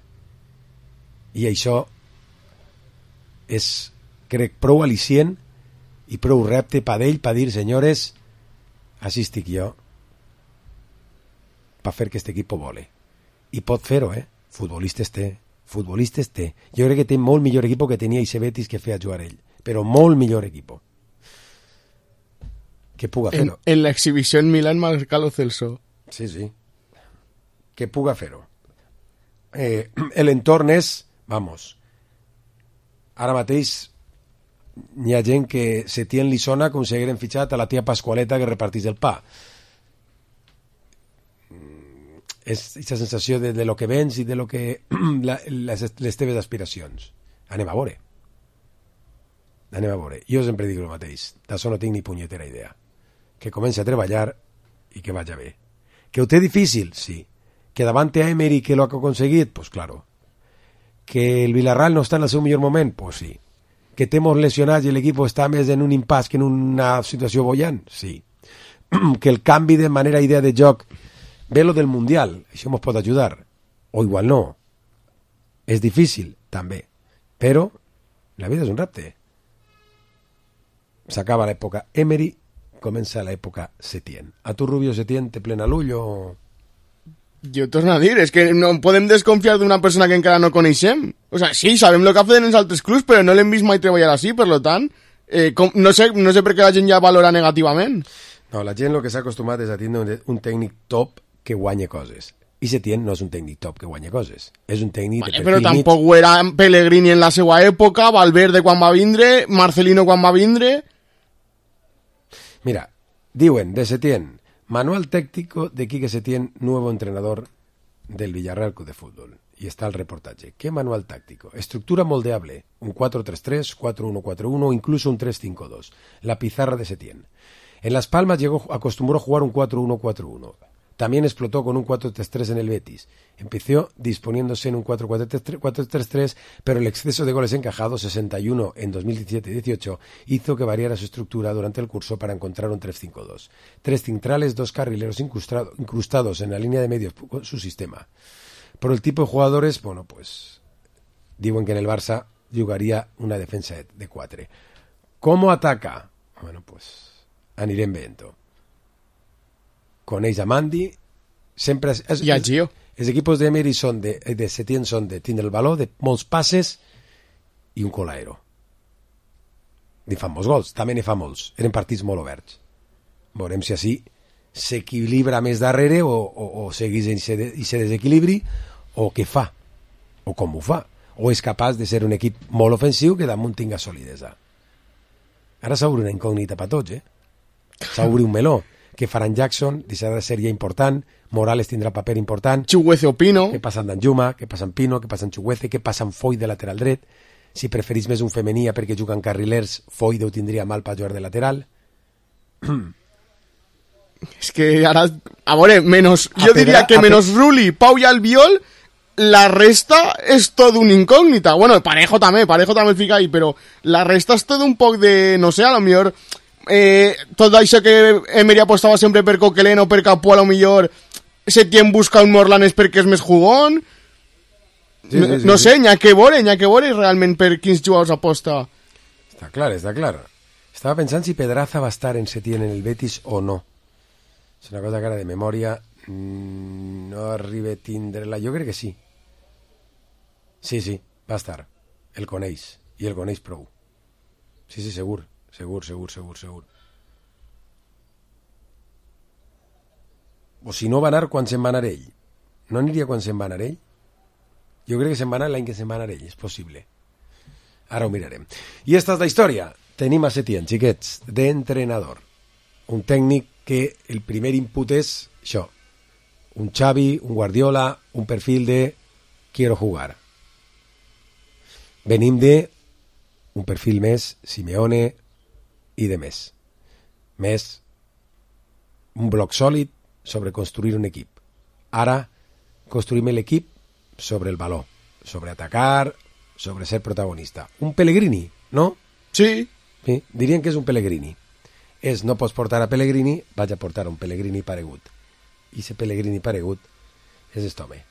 I això és, crec, prou al·licient i prou repte per ell per dir, senyores, així estic jo per fer que aquest equip vole. I pot fer-ho, Futbolistes té. Jo crec que té molt millor equip que tenia Ixe Betis que feia jugar ell. Però molt millor equip. Que puga fer-ho. En l'exhibició en Milán marca Lo Celso. Sí. Que puga fer-ho. L'entorn és, vamos, ara mateix n'hi ha gent que Setién li sona com si hagueren fitxat a la tia Pasqualeta que repartís el pa. És aquesta sensació de lo que vens i de lo que les teves aspiracions. Anem a veure. Jo sempre dic el mateix. D'això no tinc ni punyetera idea. Que comenci a treballar i que vaya bé. Que ho té difícil, sí. Que davant a Emery que lo ha aconseguit, pues claro. Que el Villarreal no està en el seu millor moment, pues sí. Que té molts lesionats i l'equip està més en un impàs que en una situació bollant, sí. Que el canvi de manera, idea de joc, ve lo del Mundial, això ens pot ajudar, o igual no. És difícil, també. Però la vida és un repte. S'acaba l'època Emery, comença l'època Setién. A tu, Rubio, Setién te plena l'ull o...? Jo torno a dir, és que no podem desconfiar d'una persona que encara no coneixem. O sea, sí, sabem el que ha fet en els altres clubs, però no l'hem vist mai treballar així, per lo tant, no sé per què la gent ja valora negativament. No, la gent el que s'ha acostumat és a tindre un tècnic top que guanya coses. I Setién no és un tècnic top que guanya coses. És un tècnic de perfil però tampoc ho era Pellegrini en la seva època, Valverde quan va vindre, Marcelino quan va vindre... Mira, diuen de Setién, manual técnico de Quique Setién, nuevo entrenador del Villarreal Club de Fútbol. Y está el reportaje. ¿Qué manual táctico? Estructura moldeable, un 4-3-3, 4-1-4-1 o incluso un 3-5-2. La pizarra de Setién. En Las Palmas acostumbró a jugar un 4-1-4-1. También explotó con un 4-3-3 en el Betis. Empezó disponiéndose en un 4-4-3, pero el exceso de goles encajados, 61 en 2017-18, hizo que variara su estructura durante el curso para encontrar un 3-5-2. 3 centrales, 2 carrileros incrustados en la línea de medios, su sistema. Por el tipo de jugadores, bueno, pues digo que en el Barça jugaría una defensa de 4. ¿Cómo ataca? Bueno, pues anirem veient-ho. Coneix a Mandi, sempre... I a Gio. Els equipos d'Emery de Setién són de tindre el valor, de molts passes i un colaero. Ni fan molts gols, també ne fa molts. Eren partits molt oberts. Veurem si així s'equilibra més darrere o segueix i se desequilibri, o què fa, o com ho fa. O és capaç de ser un equip molt ofensiu que damunt tinga solidesa. Ara s'obre una incògnita per tots, s'obre un meló. Que Ferran Jackson deixarà de ser ja important, Morales tindrà paper important, Chuguece o Pino, què passa amb Danjuma, què passa amb Pino, què passa amb Chuguece, què passa amb Foy de lateral dret, si preferís més un femení perquè juguen carrilers, Foy ho tindria mal per jugar de lateral. És que ara, a veure, jo diria que menos Rulli, Pau i Albiol, la resta és tot un incògnita. Bueno, Parejo també el fica ahí, però la resta és tot un poc de, no sé, a lo millor... tot això que Emery apostava sempre per Coquelin o per Capó, a lo millor Setién busca un Morlanes perquè és més jugón. No sé, n'hi ha que veure realment per quins jugadors aposta. Està clar. Estava pensant si Pedraza va estar en Setién en el Betis o no. És una cosa que ara de memòria no arriba a tindre-la. Jo crec que sí. Sí, va estar. El coneix, i el coneix prou. Sí, segur. Segur. O si no va anar quan se'n va anar ell. No aniria quan se'n va anar ell? Jo crec que se'n va anar l'any que se'n va anar ell, és possible. Ara ho mirarem. I esta és la història. Tenim a Setién, xiquets, d'entrenador. Un tècnic que el primer input és això. Un Xavi, un Guardiola, un perfil de quiero jugar. Venim de un perfil més Simeone i de més un bloc sòlid sobre construir un equip. Ara construïm l'equip sobre el valor, sobre atacar, sobre ser protagonista. Un Pellegrini, no? Sí. Dirien que és un Pellegrini. No pots portar a Pellegrini, vaig a portar un Pellegrini paregut. I ese Pellegrini paregut és este home,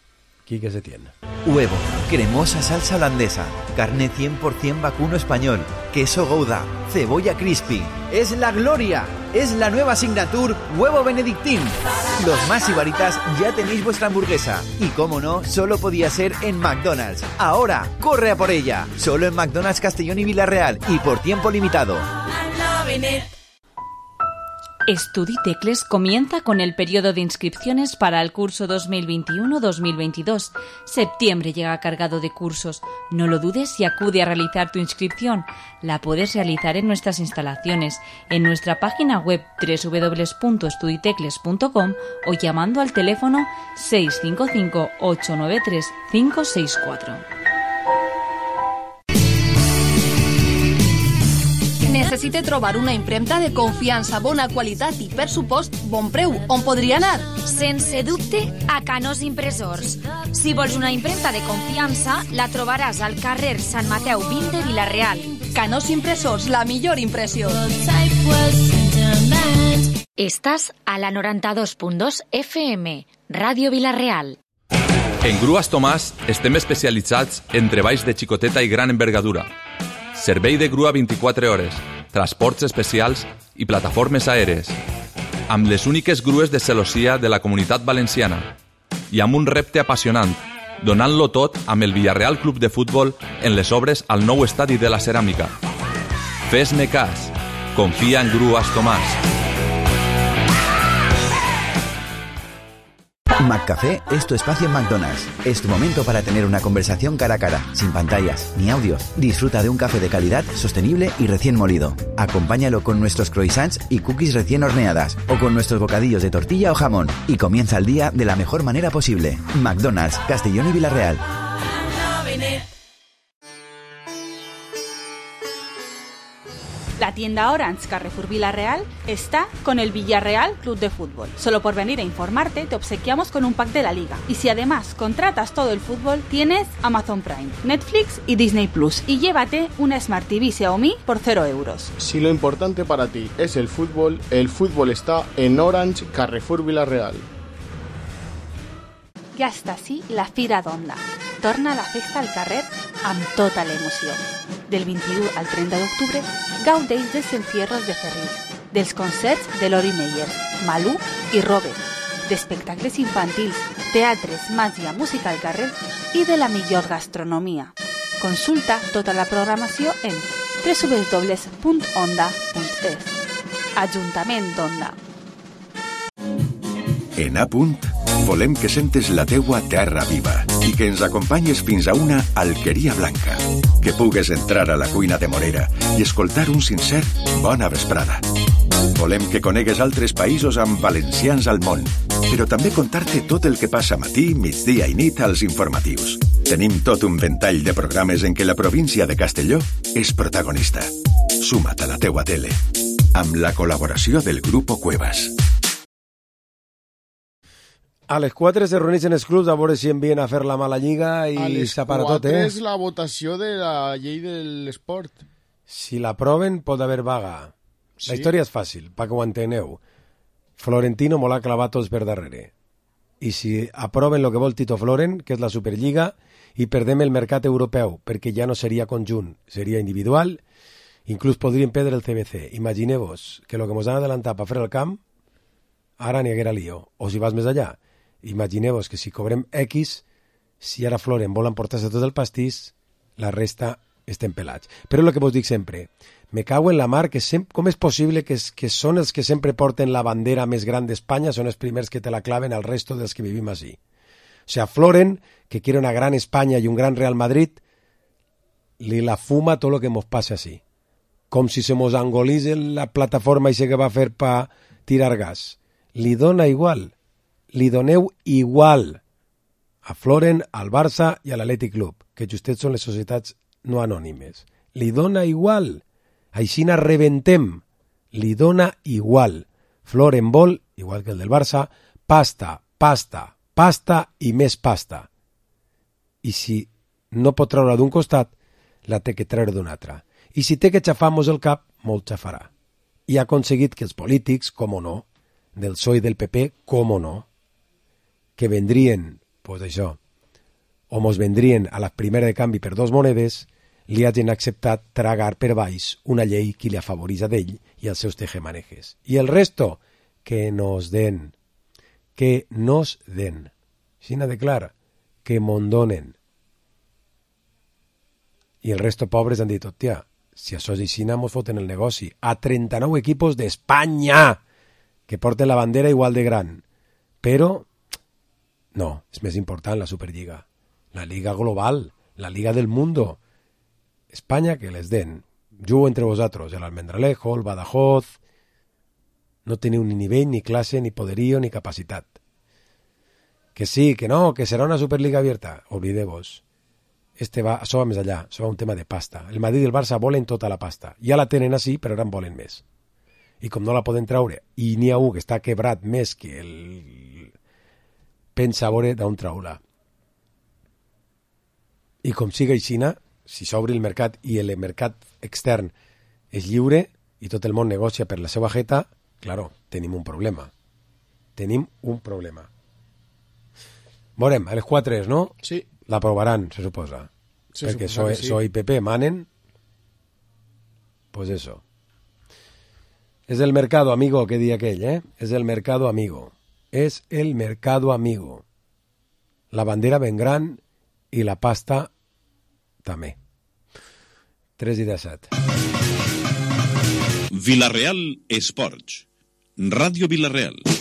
Quique Setién. Huevo, cremosa salsa holandesa, carne 100% vacuno español, queso Gouda, cebolla crispy. ¡Es la gloria! Es la nueva signature Huevo Benedictín. Los más ibaritas ya tenéis vuestra hamburguesa. Y como no, solo podía ser en McDonald's. Ahora, corre a por ella. Solo en McDonald's Castellón y Villarreal y por tiempo limitado. Estuditecles comienza con el periodo de inscripciones para el curso 2021-2022. Septiembre llega cargado de cursos. No lo dudes y acude a realizar tu inscripción. La puedes realizar en nuestras instalaciones, en nuestra página web www.estuditecles.com o llamando al teléfono 655 893 564. Necessite trobar una impremta de confiança, bona qualitat i, per supost, bon preu. On podria anar? Sense dubte, a Canós Impressors. Si vols una impremta de confiança, la trobaràs al carrer Sant Mateu 20 de Vila-real. Canós Impressors, la millor impressió. Estàs a la 92.2 FM, Ràdio Vila-real. En Grues Tomàs estem especialitzats en treballs de xicoteta i gran envergadura. Servei de grua 24 hores, transports especials i plataformes aèries. Amb les úniques grues de celossia de la Comunitat Valenciana. I amb un repte apassionant, donant-lo tot amb el Villarreal Club de Futbol en les obres al nou estadi de la Ceràmica. Fes-me cas. Confia en Grues Tomàs. McCafé es tu espacio en McDonald's. Es tu momento para tener una conversación cara a cara, sin pantallas ni audios. Disfruta de un café de calidad, sostenible y recién molido. Acompáñalo con nuestros croissants y cookies recién horneadas o con nuestros bocadillos de tortilla o jamón y comienza el día de la mejor manera posible. McDonald's, Castellón y Vila-real. La tienda Orange Carrefour Vila-real está con el Villarreal Club de Fútbol. Solo por venir a informarte te obsequiamos con un pack de la liga. Y si además contratas todo el fútbol, tienes Amazon Prime, Netflix y Disney Plus. Y llévate una Smart TV Xiaomi por 0 euros. Si lo importante para ti es el fútbol está en Orange Carrefour Vila-real. Ja està així la Fira d'Onda. Torna la festa al carrer amb tota l'emoció. Del 21 al 30 d'octubre, gaudeix dels encierros de Ferril, dels concerts de Lori Meyer, Malú i Robert, d'espectacles infantils, teatres, màgia, música al carrer i de la millor gastronomia. Consulta tota la programació en www.onda.es. Ajuntament d'Onda. En A Punt, volem que sentes la teua terra viva i que ens acompanyes fins a una alqueria blanca. Que pugues entrar a la cuina de Morera i escoltar un sincer bona vesprada. Volem que conegues altres països amb valencians al món, però també contar-te tot el que passa matí, migdia i nit als informatius. Tenim tot un ventall de programes en què la província de Castelló és protagonista. Suma't a la teua tele, amb la col·laboració del Grupo Cuevas. A les 4 se reuneixen els clubs a veure si envien a fer la mala lliga i s'apara tot, A les 4 és la votació de la llei de l'esport. Si l'aproven, pot haver vaga. Sí. La història és fàcil, perquè ho enteneu. Florentino m'ho l'ha clavat tots per darrere. I si aproven el que vol Tito Floren, que és la Superliga, i perdem el mercat europeu, perquè ja no seria conjunt, seria individual, inclús podrien perdre el CBC. Imagineu-vos que el que ens han adelantat per fer el camp, ara n'hi haguera lío. O si vas més allà, imagineu-vos que si cobrem X, si ara Floren vol emportar-se tot el pastís, la resta estem pelats. Però el que vos dic sempre, me cago en la mar, que com és possible que són els que sempre porten la bandera més gran d'Espanya, són els primers que te la claven al resto dels que vivim així. O sea, Floren, que quiere una gran España y un gran Real Madrid, li la fuma tot el que mos passa així. Com si se mos angolís la plataforma i que va fer pa tirar gas. Li dona igual. Li doneu igual a Floren, al Barça i a l'Atlètic Club, que justets són les societats no anònimes. Li dona igual. Aixina rebentem. Li dona igual. Floren vol, igual que el del Barça, pasta, pasta, pasta i més pasta. I si no pot treure d'un costat, la té que treure d'un altre. I si té que xafar-nos el cap, molt xafarà. I ha aconseguit que els polítics, com o no, del PSOE i del PP, com o no, que vendrien, pues això, o mos vendrien a la primera de canvi per 2 monedes, li hagin acceptat tragar per baix una llei que li afavorís a d'ell i als seus tejemanejes. I el resto, que nos den. Que nos den. Xina de clar, que mondonen. I el resto pobres han dit, hòstia, si això és així, mos foten el negoci. A 39 equipos d'Espanya! que porten la bandera igual de gran, però no, és més important la Superliga, la Liga Global, la Liga del Mundo. Espanya que les den. Jugo entre vosaltres, el Almendralejo, el Badajoz. No teniu ni nivell, ni classe, ni poderío, ni capacitat. Que sí, que no, que serà una Superliga abierta. Olvideu-vos. Això va més allà, això va un tema de pasta. El Madrid i el Barça volen tota la pasta. Ja la tenen així, però ara en volen més. I com no la poden traure, i n'hi ha un que està quebrat més que el pensa a veure d'on traurà. I com siga aixina, si s'obre el mercat i el mercat extern és lliure i tot el món negocia per la seva jeta, claro, tenim un problema. Tenim un problema. Veurem, a les 4, no? Sí. L'aprovaran, se suposa. Perquè PSOE i PP manen. Pues eso. Es el mercado, amigo, que di aquell, ¿eh? Es el mercado, amigo. Es el mercado, amigo. La bandera ben gran i la pasta també. 3:17. Vila-real Esports. Ràdio Vila-real.